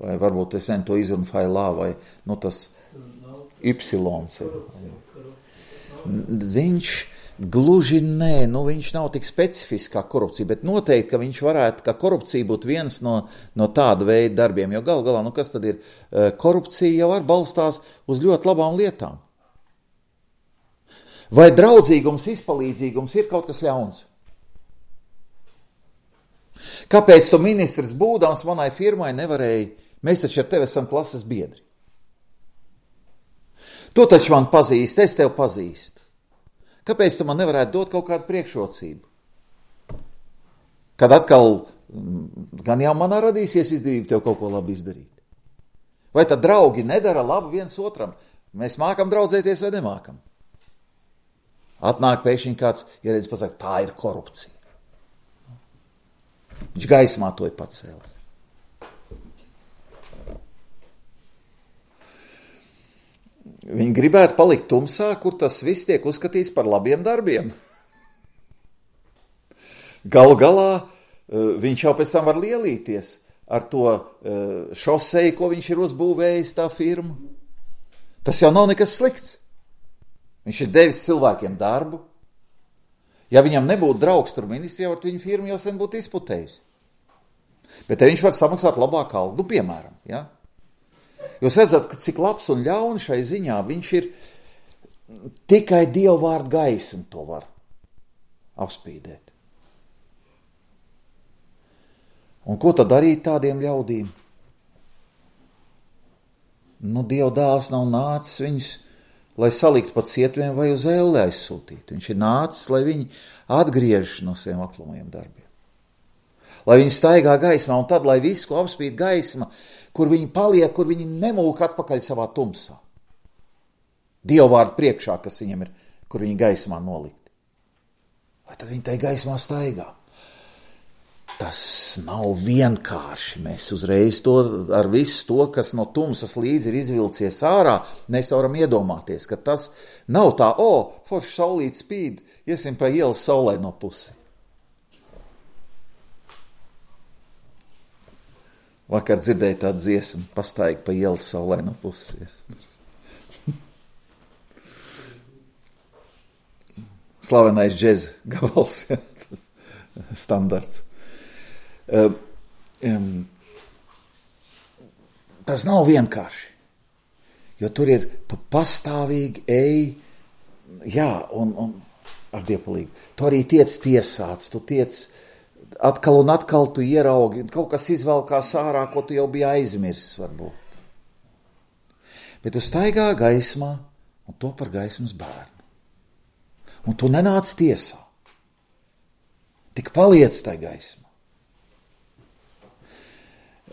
Vai varbūt es zinu to izrunu failā, vai, nu, tas ypsilons ir. Viņš gluži nē, nu viņš nav tik specifisks kā korupcija, bet noteikti, ka viņš varētu, ka korupcija būtu viens no, no tāda veida darbiem, jo gal galā, nu kas tad ir, korupcija jau var balstās uz ļoti labām lietām. Vai draudzīgums, izpalīdzīgums ir kaut kas ļauns? Kāpēc tu ministrs būdams manai firmai nevarēji, mēs taču ar tevi esam klases biedri. Tu taču man pazīst, es tev pazīstu. Kāpēc tu man nevarētu dot kaut kādu priekšrocību? Kad atkal, gan jau manā radīsies izdevība tev kaut ko labi izdarīt. Vai tad draugi nedara labu viens otram? Mēs mākam draudzēties vai nemākam? Atnāk pēkšņi kāds, ja redz pasaka, tā ir korupcija. Viņš gaismā to ir pacēlis. Viņi gribētu palikt tumsā, kur tas viss tiek uzskatīts par labiem darbiem. Galu galā viņš jau pēc tam var lielīties ar to šoseju, ko viņš ir uzbūvējis tā firma. Tas jau nav nekas slikts. Viņš ir devis cilvēkiem darbu. Ja viņam nebūtu draugs tur ministrijā, var viņa firma jau sen būtu izputējusi. Bet te viņš var samaksāt labāku algu, nu, piemēram, ja? Jūs redzat, ka cik labs un ļauni šai ziņā viņš ir tikai Dieva vārdu gaismu to var apspīdēt. Un ko tad darīt tādiem ļaudīm? Nu, Dieva dēls nav nācis viņus, lai saliktu pa cietumiem vai uz ēli aizsūtītu. Viņš ir nācis, lai viņi atgriežas no saviem aplumajiem darbiem. Lai viņi staigā gaismā, un tad, lai visu, ko apspīd gaisma, kur viņi paliek, kur viņi nemūk atpakaļ savā tumsā. Dieva vārdu priekšā, kas viņam ir, kur viņi gaismā nolikti. Lai tad viņi tai gaismā staigā. tas nav vienkārši. Mēs uzreiz to, ar visu to, kas no tumsas līdzi ir izvilcies ārā, mēs varam iedomāties, ka tas nav tā, o, forši saulīt spīd, iesim pa ielas saulē no pusi. Vakar dzirdēju tādu dziesmu, pastaigi pa ielas saulē no pusi. Slavenais džez gabals, ja, standarts. Um, um, tas nav vienkārši, jo tur ir, tu pastāvīgi ej, jā, un, un ar dievpalīgu. Tu arī tiec tiesāts, tu tiec atkal un atkal tu ieraugi, kaut kas izvelkās ārā, ko tu jau biji aizmirsis varbūt. Bet tu staigā gaismā un to par gaismas bērnu. Un tu nenāc tiesā. Tik paliec tai gaismā.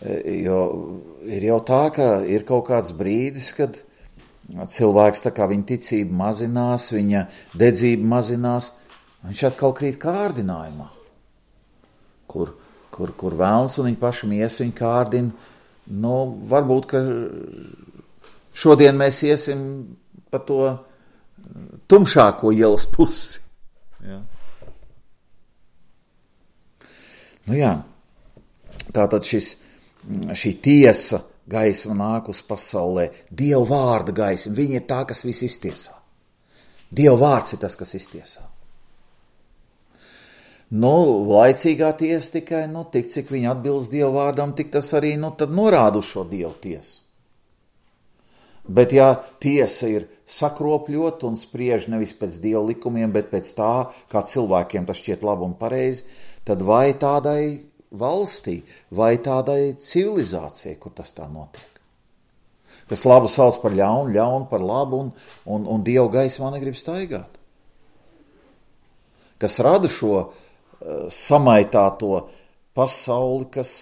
Jo ir jau tā, ka ir kaut kāds brīdis, kad cilvēks tā kā viņa ticība mazinās, viņa dedzība mazinās, viņš atkal krīt kārdinājumā, kur, kur, kur vēlns un viņa paši mies viņa kārdina. Nu, varbūt, ka šodien mēs iesim pa to tumšāko ielas pusi. Ja. Nu jā, tātad šis šī tiesa gaisma nāk uz pasaulē, Dieva vārda gaisma, viņa ir tā, kas viss iztiesā. Dieva vārds ir tas, kas iztiesā. Nu, laicīgā tiesa tikai, nu, tik cik viņa atbilst Dieva vārdam, tik tas arī, nu, tad norāda uz šo Dievu tiesu. Bet ja tiesa ir sakropļot un spriež nevis pēc Dieva likumiem, bet pēc tā, kā cilvēkiem tas šķiet labi un pareizi, tad vai tādai valstī vai tādai civilizācijai, kur tas tā notiek. Kas labu sauc par ļaunu, ļaunu par labu un, un, un Dievu gaismā negrib staigāt. Kas rada šo uh, samaitāto pasauli, kas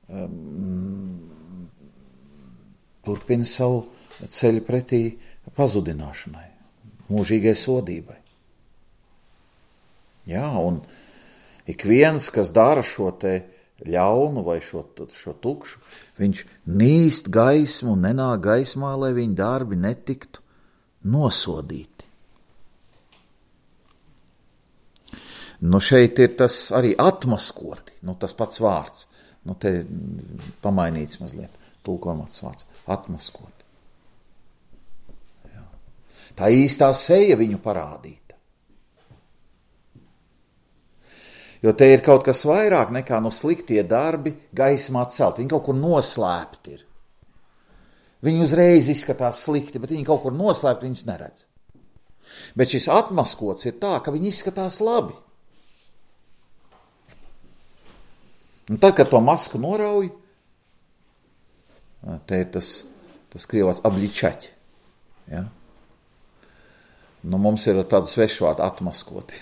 um, turpina savu ceļu pretī pazudināšanai, mūžīgai sodībai. Jā, un ik viens, kas dara šo te ļaunu vai šo, šo tukšu, viņš nīst gaismu un nenāk gaismā, lai viņa darbi netiktu nosodīti. Nu šeit ir tas arī atmaskoti, nu tas pats vārds, nu te pamainīts mazliet, tulkojumats vārds, atmaskoti. Jā. Tā īstā seja viņu parādīta. Jo te ir kaut kas vairāk nekā no sliktie darbi gaismā celt. Viņi kaut kur noslēpti ir. Viņi uzreiz izskatās slikti, bet viņi kaut kur noslēpti, viņas neredz. Bet šis atmaskots ir tā, ka viņi izskatās labi. Un tad, kad to masku norauj, te ir tas, tas krievāts abličaķi. Ja? Nu, mums ir tāda svešvārda atmaskoti.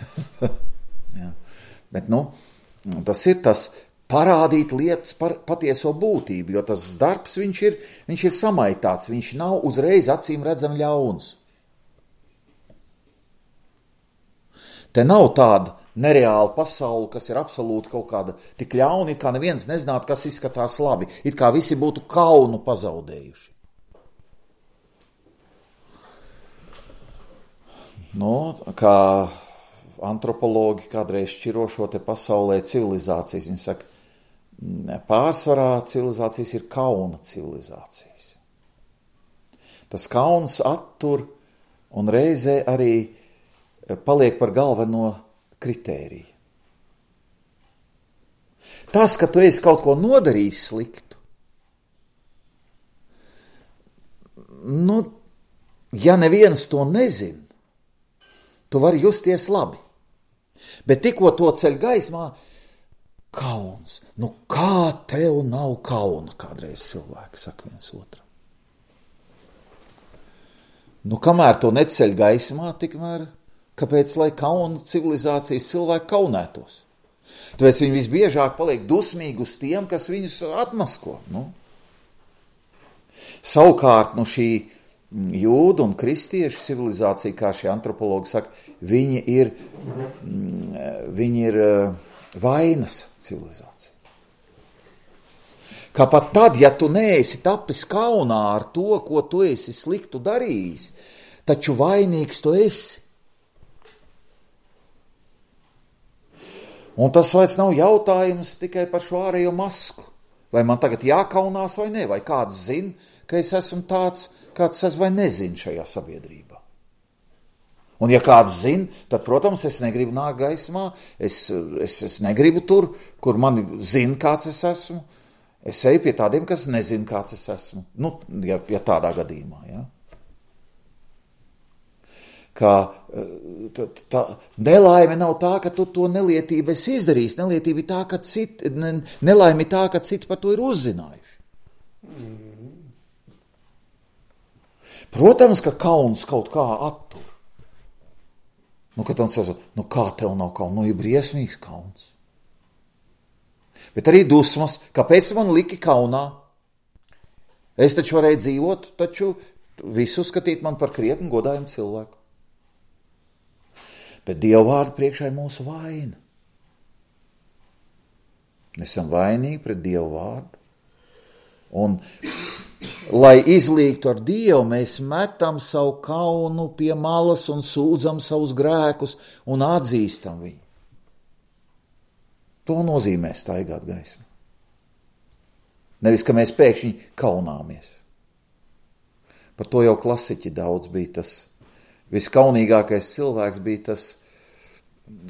Ja. Bet, nu, tas ir tas parādīt lietas par patieso būtību, jo tas darbs, viņš ir, viņš ir samaitāts, viņš nav uzreiz acīm redzam ļauns. Te nav tāda nereāla pasaule, kas ir absolūti kaut kāda tik ļauna, it kā neviens nezinātu, kas izskatās labi, it kā visi būtu kaunu pazaudējuši. Nu, kā antropologi kādreiz šķiro šo te pasaulē civilizācijas. Viņi saka, pārsvarā civilizācijas ir kauna civilizācijas. Tas kauns attur un reizē arī paliek par galveno kritēriju. Tas, ka tu esi kaut ko nodarījis sliktu, nu, ja neviens to nezin, tu vari justies labi. Bet tikko to ceļ gaismā, kauns. Nu kā tev nav kauna, kādreiz cilvēki saka viens otram. Nu kamēr to neceļ gaismā, tikmēr, kāpēc lai kauna civilizācijas cilvēki kaunētos? Tāpēc viņi visbiežāk paliek dusmīgi uz tiem, kas viņus atmasko. Nu. Savukārt, nu šī jūdu un kristiešu civilizācija, kā šie antropologi saka, viņi ir, viņi ir vainas civilizācija. Kā pat tad, ja tu neesi tapis kaunā ar to, ko tu esi sliktu darījis, taču vainīgs tu esi. Un tas vairs nav jautājums tikai par šo ārējo masku. Vai man tagad jākaunās vai ne, vai kāds zina, ka es esmu tāds, kāds es vai nezinu šajā sabiedrībā. Un ja kāds zina, tad, protams, es negribu nākt gaismā, es, es, es negribu tur, kur mani zina, kāds es esmu. Es eju pie tādiem, kas nezina, kāds es esmu. Nu, ja, ja tādā gadījumā, ja. Kā tā, tā, nelaime nav tā, ka tu to nelietību esi izdarījis. Nelietība ir tā, ka citi, ne, nelaime ir tā, ka citi par to ir uzzinājuši. Mm. Protams, ka kauns kaut kā attur. Nu, kad tam saka, nu kā tev nav kauns? Nu, ir briesmīgs kauns. Bet arī dusmas, kāpēc man liki kaunā? Es taču varēju dzīvot, taču visu skatīt man par krietni godājumu cilvēku. Bet Dieva vārdu priekšā ir mūsu vaina. Mēs esam vainīgi pret Dieva vārdu. Un, lai izlīgtu ar Dievu, mēs metam savu kaunu pie malas un sūdzam savus grēkus un atzīstam viņu. To nozīmē staigāt gaismu. Nevis, ka mēs pēkšņi kaunāmies. Par to jau klasiķi daudz bija tas. Viskaunīgākais cilvēks bija tas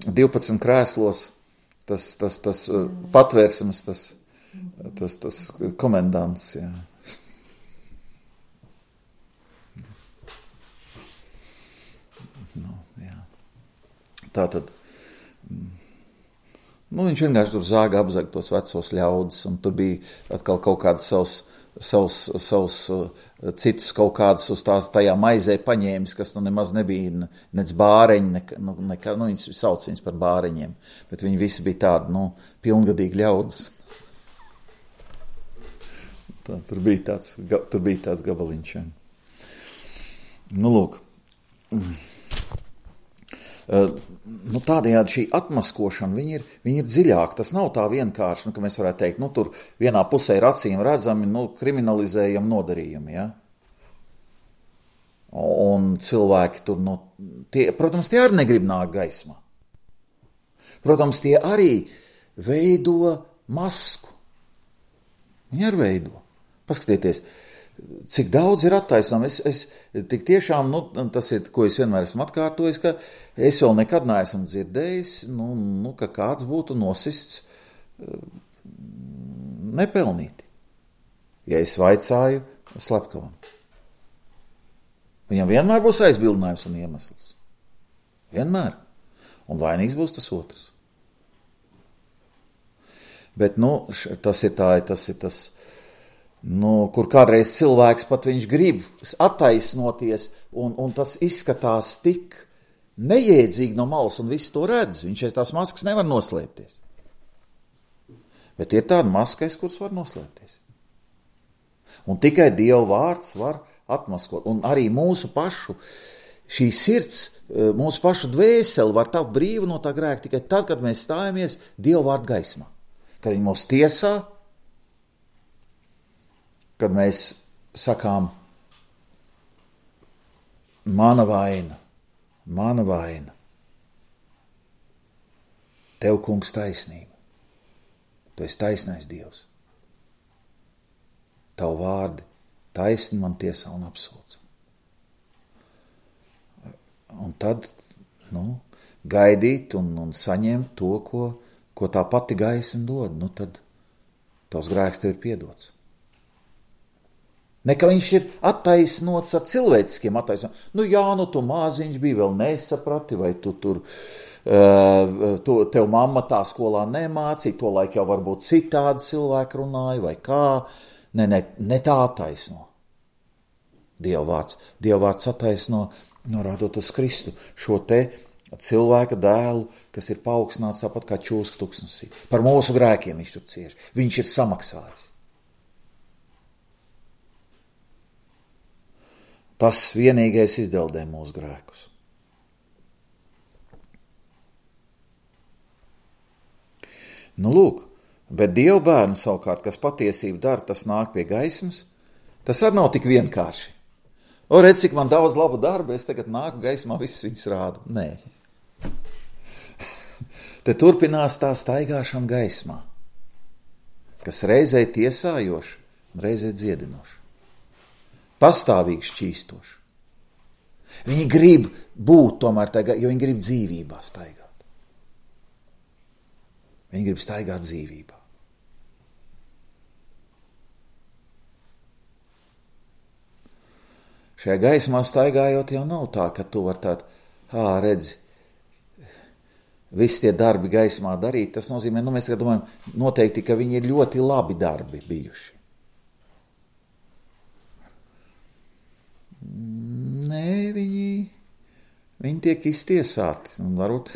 divpadsmit krēslos, tas, tas, tas patvērsums, tas, tas, tas komendants, jā. Nu, jā. Tātad, nu, viņš vienkārši tur zāga apzag tos vecos ļaudis, un tur bija atkal kaut kāds savs savus, savus citus kaut kādus uz tās tajā maizē paņēmis, kas nu nemaz nebija nec bāreņi, ne, nu, nekā, nu viņus sauc viņus par bāreņiem, bet viņi visi bija tādi, nu, pilngadīgi ļaudis. Tā, tur bija tāds, tur bija tāds gabaliņš. Ja. Nu, lūk. Uh, nu, tādējādi šī atmaskošana, viņi ir, viņi ir dziļāk, tas nav tā vienkārši, nu, ka mēs varētu teikt, nu, tur vienā pusē ir acīm redzami, nu, kriminalizējam nodarījumi, ja? Un cilvēki tur, nu, tie, protams, tie arī negrib nākt gaismā. Protams, tie arī veido masku. Viņi arī veido. Paskatieties, cik daudz ir attaisnām. Es, es tik tiešām, nu, tas ir, ko es vienmēr esmu atkārtojis, ka es vēl nekad neesmu dzirdējis, nu, nu, ka kāds būtu nosists nepelnīti. Ja es vaicāju slepkavam. Viņam vienmēr būs aizbildinājums un iemesls. Vienmēr. Un vainīgs būs tas otrs. Bet, nu, tas ir tā, tas ir tas, nu, kur kādreiz cilvēks pat viņš grib attaisnoties, un, un tas izskatās tik neiedzīgi no malas, un viss to redz. Viņš aiz tās maskas nevar noslēpties. Bet ir tāda maska, aiz kuras var noslēpties. Un tikai Dieva vārds var atmaskot. Un arī mūsu pašu, šī sirds, mūsu pašu dvēseli var tapt brīva no tā grēka tikai tad, kad mēs stājamies Dieva vārdu gaismā. Kad viņi mūs tiesā, kad mēs sakām, mana vaina, mana vaina, tev, kungs, taisnība, tu esi taisnais Dievs, tavu vārdi taisni man tiesā un apsūdz. Un tad, nu, gaidīt un, un saņemt to, ko, ko tā pati gaisma dod, nu tad tavs grēks tev ir piedots. Ne, ka viņš ir attaisnots ar cilvēciskiem attaisnojumiem. Nu jā, nu tu māziņš bija, vēl nesaprati, vai tu tur, uh, tu, tev mamma tā skolā nemācīja, to laiku jau varbūt citādi cilvēki runāja, vai kā. Ne, ne, ne tā attaisno. Dieva vārds. Dieva vārds attaisno, norādot uz Kristu, šo te cilvēka dēlu, kas ir paaugstināts tāpat kā čūska tuksnesī. Par mūsu grēkiem viņš tur cieš. Viņš ir samaksājis. Tas vienīgais izdeldē mūsu grēkus. Nu, lūk, bet Dieva bērni savukārt, kas patiesību dara, tas nāk pie gaismas, tas arī nav tik vienkārši. O, redz, cik man daudz labu darbu, es tagad nāku gaismā, visus viņus rādu. Nē. Te turpinās tā staigāšana gaismā, kas reizē tiesājoši un reizē dziedinoši. Pastāvīgi šķīstoši. Viņi grib būt tomēr tagad, jo viņi grib dzīvībā staigāt. Viņi grib staigāt dzīvībā. Šajā gaismā staigājot jau nav tā, ka tu var tādu, ā, redzi, visi tie darbi gaismā darīt. Tas nozīmē, nu mēs domājam, noteikti, ka viņi ir ļoti labi darbi bijuši. Nē, viņi, viņi tiek iztiesāti. Un varbūt,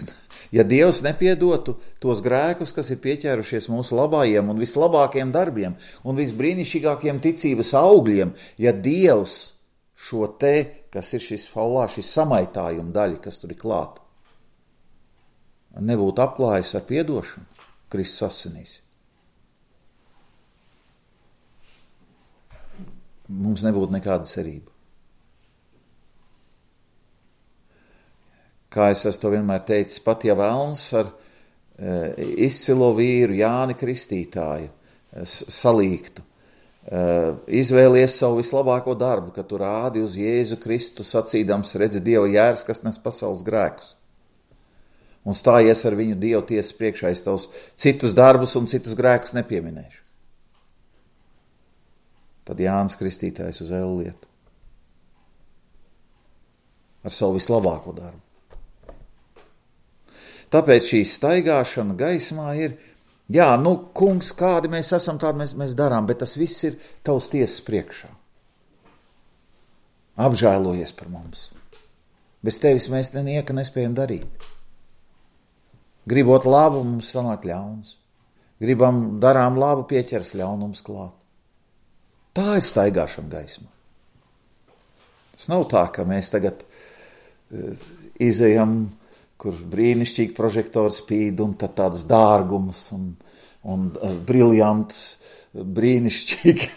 ja Dievs nepiedotu tos grēkus, kas ir pieķērušies mūsu labājiem un vislabākajiem darbiem un visbrīnišķīgākajiem ticības augļiem, ja Dievs šo te, kas ir šis faulā, šis samaitājuma daļa, kas tur ir klāt, nebūtu apklājis ar piedošanu Kristus asinīs. Mums nebūtu nekāda cerība. Kā es esmu to vienmēr teicis, pat ja vēlns ar e, izcilo vīru Jāni Kristītāju e, salīgtu, e, izvēlies savu vislabāko darbu, ka tu rādi uz Jēzu Kristu sacīdams, redzi Dieva jērs, kas nes pasaules grēkus. Un stājies ar viņu Dievu tiesas priekšā, es tavus citus darbus un citus grēkus nepieminēšu. Tad Jānis Kristītājs uz elli lietu. Ar savu vislabāko darbu. Tāpēc šī staigāšana gaismā ir, jā, nu, kungs, kādi mēs esam, tādi mēs, mēs darām, bet tas viss ir tavs tiesas priekšā. Apžēlojies par mums. Bez tevis mēs nieka nespējam darīt. Gribot labu, mums sanāk ļauns. Gribam, darām labu, pieķers ļaunums klāt. Tā ir staigāšana gaismā. Tas nav tā, ka mēs tagad uh, izejam, kur brīnišķīgi prožektori spīd un tad tāds dārgums un, un uh, briljantas, brīnišķīgi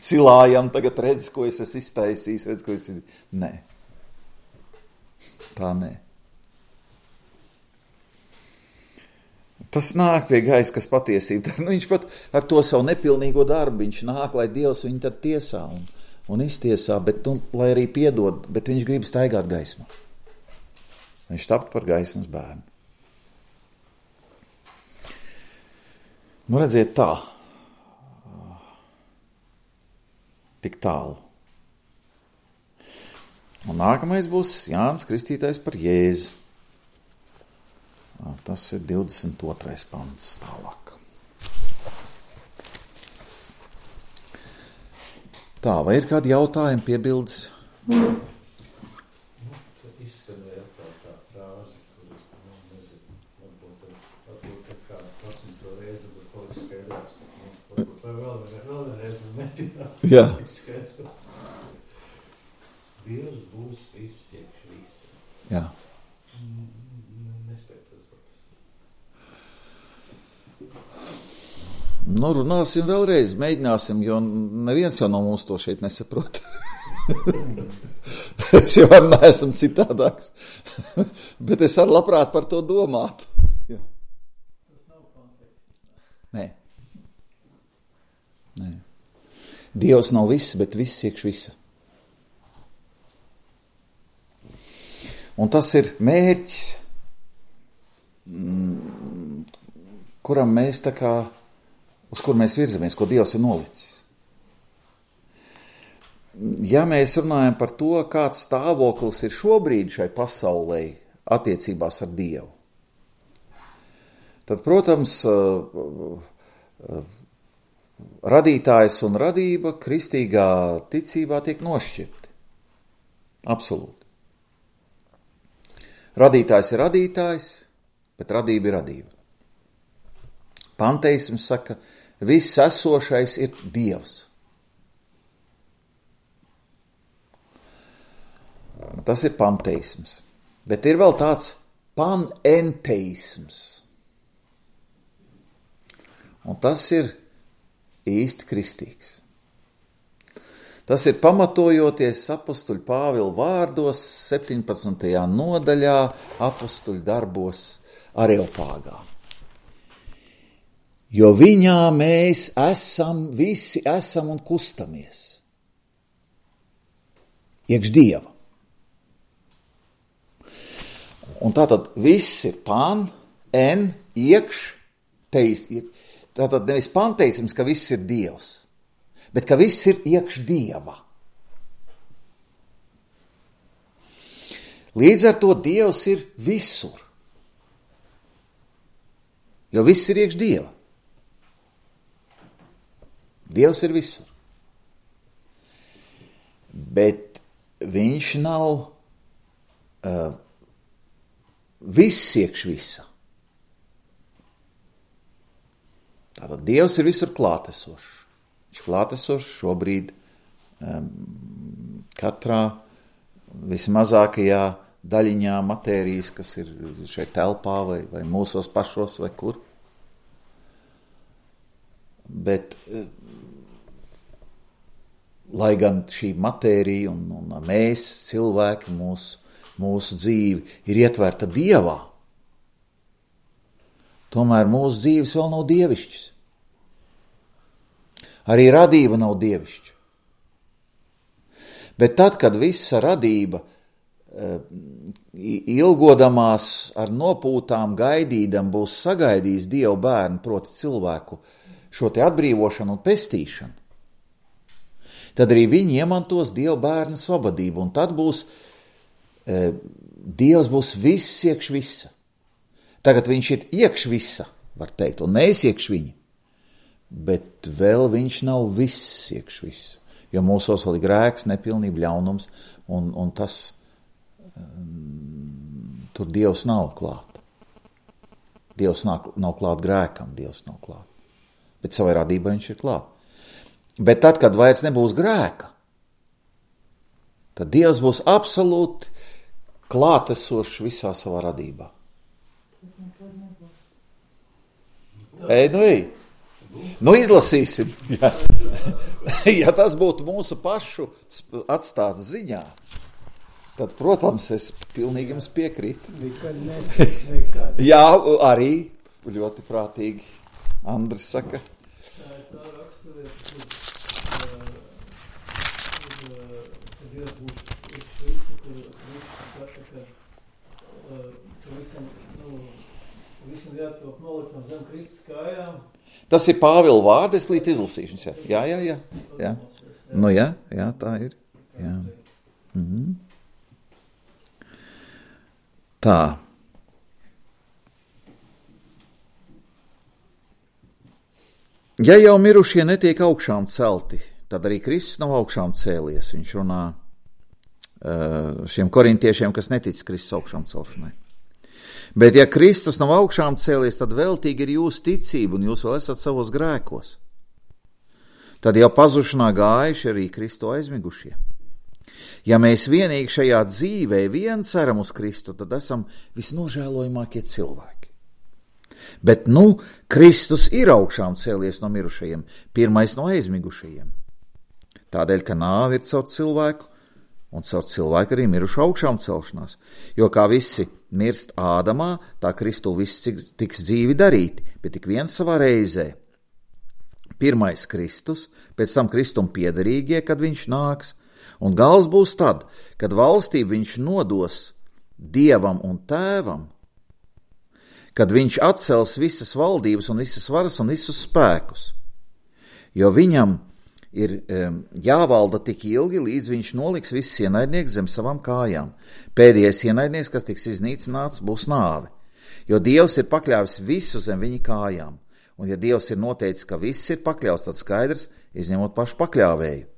cilājam, tagad redz, ko es esmu iztaisījis, redz, ko es esmu... Nē. Tā nē. Tas nāk pie gaisa, kas patiesība. Nu, viņš pat ar to savu nepilnīgo darbu, viņš nāk, lai Dievs viņu tad tiesā un, un iztiesā, bet, un, lai arī piedod, bet viņš grib staigāt gaismā. Viņš tapt par gaismas bērnu. Nu, redziet tā. Tik tālu. Un nākamais būs Jānis Kristītājs par Jēzu. Tas ir divdesmit otrais pants tālāk. Tā, vai ir kādi jautājumi, piebildes? Jā. Dievs būs viss iekš visi. Jā. Nespēj tos Nu, runāsim vēlreiz, mēģināsim, jo neviens jau no mums to šeit nesaprot. Es jau arī neesmu citādāks. Bet es arī labprāt par to domātu. Jā. Tas nav konteksts. Nē. Nē. Dievs nav viss, bet viss iekš visa. Un tas ir mērķis, kuram mēs tā kā, uz kur mēs virzamies, ko Dievs ir nolicis. Ja mēs runājam par to, kāds stāvoklis ir šobrīd šai pasaulē attiecībās ar Dievu, tad, protams, radītājs un radība kristīgā ticībā tiek nošķirti. Absolūti. Radītājs ir radītājs, bet radība ir radība. Panteisms saka, viss esošais ir Dievs. Tas ir panteisms. Bet ir vēl tāds panenteisms. Un tas ir īsti kristīgs. Tas ir pamatojoties apustuļu Pāvila vārdos septiņpadsmitajā nodaļā apustuļu darbos Areopāgā. Jo viņā mēs esam, visi esam un kustamies. Iekš Dieva. Un tātad viss ir pan, en, iekš, teis, tātad nevis panteisms, ka viss ir Dievs, bet ka viss ir iekš Dieva. Līdz ar to Dievs ir visur, jo viss ir iekš Dieva. Dievs ir visur. Bet viņš nav uh, viss iekš visa. Tātad Dievs ir visur klātesošs. Viņš klātesošs šobrīd um, katrā vismazākajā daļiņā matērijas, kas ir šeit telpā vai, vai mūsos pašos vai kur. Bet uh, lai gan šī matērija un, un mēs, cilvēki, mūsu, mūsu dzīve ir ietverta Dievā, tomēr mūsu dzīves vēl nav dievišķas. Arī radība nav dievišķa. Bet tad, kad visa radība ilgodamās ar nopūtām gaidīdam būs sagaidījis Dievu bērnu, proti cilvēku, šo te atbrīvošanu un pestīšanu, tad arī viņi iemantos Dieva bērna svabadību, un tad būs, e, Dievs būs viss iekš visa. Tagad viņš ir iekš visa, var teikt, un mēs iekš viņa, bet vēl viņš nav viss iekš visa, jo mūsos vēl ir grēks, nepilnība, ļaunums, un, un tas, um, tur Dievs nav klāt. Dievs nav, nav klāt grēkam, Dievs nav klāt, bet savai radībai viņš ir klāt. Bet tad, kad vairs nebūs grēka, tad Dievs būs absolūti klātesošs visā savā radībā. Ej, nu ej. Nu izlasīsim. Ja, ja tas būtu mūsu pašu atstāts ziņā, tad, protams, es pilnīgi jums piekrītu. Nekad, nekad, nekad. Jā, arī ļoti prātīgi. Andris saka. Tā raksturiet, kur Dievs būs iekš visi, kur Kristus saka, ka, ka visam, nu, visam jātop noliktam zem Kristus kājām. Tas ir Pāvila vārdi, es līdz izlasīšanas. Jā, jā, jā. jā. jā. Nu jā, jā, tā ir. Jā. Mhm. Tā. Ja jau mirušie netiek augšām celti, tad arī Kristus nav augšām cēlies. Viņš runā uh, šiem korintiešiem, kas netic Kristus augšām celšanai. Bet ja Kristus nav augšām cēlies, tad veltīgi ir jūsu ticība, un jūs vēl esat savos grēkos. Tad jau pazušanā gājuši arī Kristu aizmigušie. Ja mēs vienīgi šajā dzīvē vien ceram uz Kristu, tad esam visnožēlojamākie cilvēki. Bet nu, Kristus ir augšām cēlies no mirušajiem, pirmais no aizmigušajiem. Tādēļ, ka nāve ir caur cilvēku, un caur cilvēku arī mirušu augšām celšanās. Jo kā visi mirst Ādamā, tā Kristu viss tiks dzīvi darīti, bet tik viens savā reizē. Pirmais Kristus, pēc tam Kristum piederīgie, kad viņš nāks, un gals būs tad, kad valstību viņš nodos Dievam un Tēvam, kad viņš atcels visas valdības un visas varas un visus spēkus. Jo viņam ir um, jāvalda tik ilgi, līdz viņš noliks visus ienaidnieks zem savām kājām. Pēdējais ienaidnieks, kas tiks iznīcināts, būs nāve. Jo Dievs ir pakļāvis visu zem viņa kājām. Un ja Dievs ir noteicis, ka viss ir pakļauts, tad skaidrs, izņemot pašu pakļāvēju.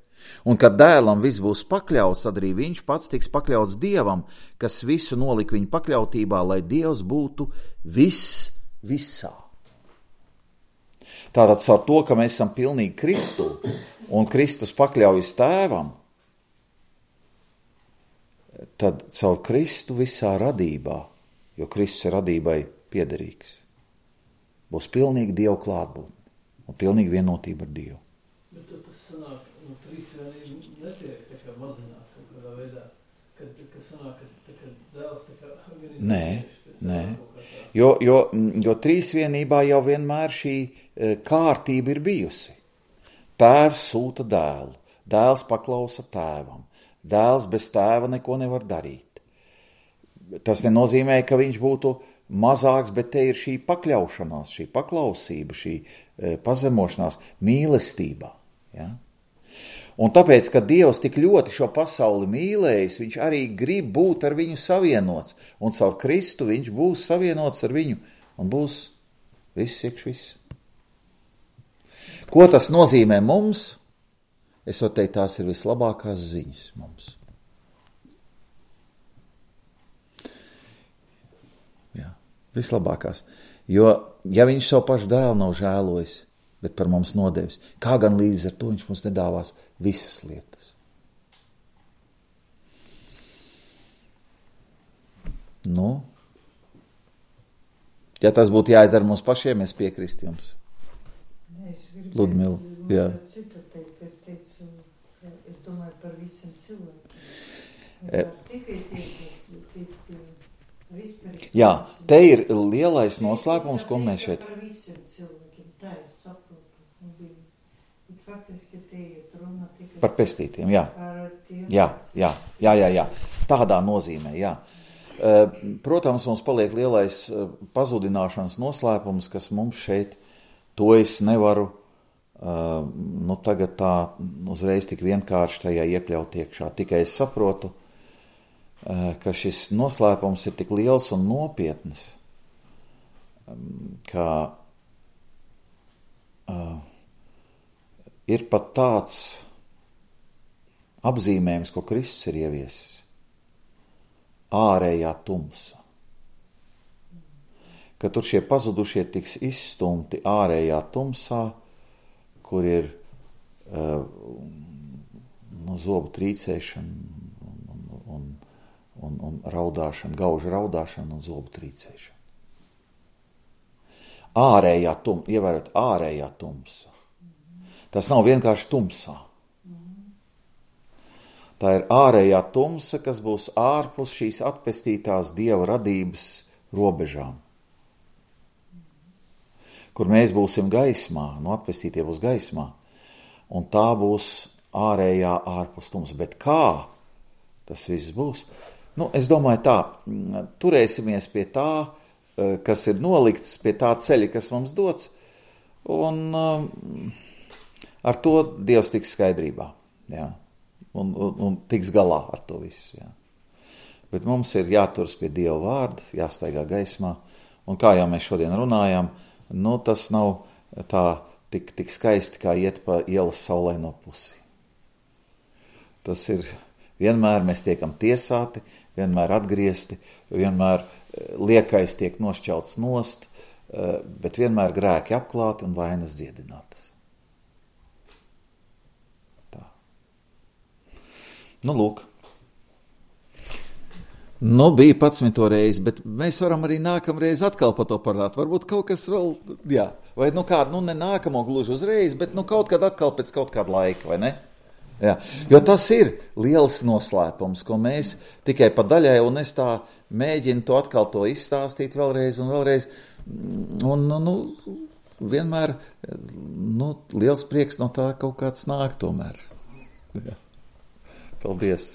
Un kad dēlam viss būs pakļauts, tad arī viņš pats tiks pakļauts Dievam, kas visu nolika viņa pakļautībā, lai Dievs būtu viss visā. Tātad caur to, ka mēs esam pilnīgi Kristu, un Kristus pakļaujas Tēvam, tad caur Kristu visā radībā, jo Kristus ir radībai piederīgs, būs pilnīgi Dievu klātbūtne. un pilnīgi vienotība ar Dievu. Bet tad tas sanāk, nu, trīsvienība netiek tā kā mazināt kaut kādā veidā, kad, kad sanāk, ka, kad dēls tā kā organizē. Nē, nē. Jo, jo, jo trīsvienībā jau vienmēr šī kārtība ir bijusi. Tēvs sūta dēlu, dēls paklausa tēvam, dēls bez tēva neko nevar darīt. Tas nenozīmē, ka viņš būtu mazāks, bet te ir šī pakļaušanās, šī paklausība, šī e, pazemošanās mīlestībā. Ja? Un tāpēc, ka Dievs tik ļoti šo pasauli mīlējis, viņš arī grib būt ar viņu savienots, un caur Kristu viņš būs savienots ar viņu, un būs viss iekš viss. Ko tas nozīmē mums? Es varu teikt, tās ir vislabākās ziņas mums. Vislabākās. Jo, ja viņš savu pašu dēlu nav žēlojis, bet par mums nodevis, kā gan līdz ar to viņš mums nedāvās visas lietas. Nu, ja tas būtu jāizdara mums pašiem, es piekristu jums. Ludmila, jā. Citu teikt, es teicu, es domāju par visiem cilvēkiem. E... Tikai teikt, teikt, Jā, te ir lielais noslēpums, ko mēs šeit. Par visiem cilvēkiem, tā es saprotu. Bet faktiski te ir runa tikai par pestītiem, jā. Par tiem, jā, jā, jā, jā, jā. Tādā nozīmē, jā. Protams, mums paliek lielais pazudināšanas noslēpums, kas mums šeit, to es nevaru, nu tagad tā uzreiz tik vienkārši tajā iekļaut iekšā. Tikai es saprotu, ka šis noslēpums ir tik liels un nopietns, ka uh, ir pat tāds apzīmējums, ko Kristus ir ieviesis. Ārējā tumsa. Ka tur šie pazudušie tiks izstumti ārējā tumsā, kur ir uh, no zobu trīcēšana un Un, un raudāšana, gauža raudāšana un zobu trīcēšana. Ārējā tumsa, ievērot ārējā tumsa. Tas nav vienkārši tumsā. Tā ir ārējā tumsa, kas būs ārpus šīs atpestītās Dieva radības robežām. Kur mēs būsim gaismā, no atpestītie būs gaismā, un tā būs ārējā ārpus tumsa. Bet kā tas viss būs? Nu, es domāju tā, turēsimies pie tā, kas ir nolikts, pie tā ceļa, kas mums dots, un um, ar to Dievs tiks skaidrībā, jā, un, un, un tiks galā ar to visu, jā. Bet mums ir jāturas pie Dieva vārda, jāstaigā gaismā, un kā jau mēs šodien runājām, nu, tas nav tā tik, tik skaisti, kā iet pa ielas saulaino pusi. Tas ir, vienmēr mēs tiekam tiesāti, vienmēr atgriezti, vienmēr liekais tiek nošķelts nost, bet vienmēr grēki apklāti un vainas dziedinātas. Tā. Nu, lūk. Nu, bija patsmito reizi, bet mēs varam arī nākamreiz atkal par to parunāt. Varbūt kaut kas vēl, jā, vai nu kādu, nu ne nākamo gluži uzreiz, bet nu kaut kad atkal pēc kaut kāda laika, vai ne? Jā, jo tas ir liels noslēpums, ko mēs tikai pa daļai, un es tā mēģinu to atkal to izstāstīt vēlreiz un vēlreiz, un, nu, vienmēr, nu, liels prieks no tā kaut kāds nāk tomēr. Jā. Paldies!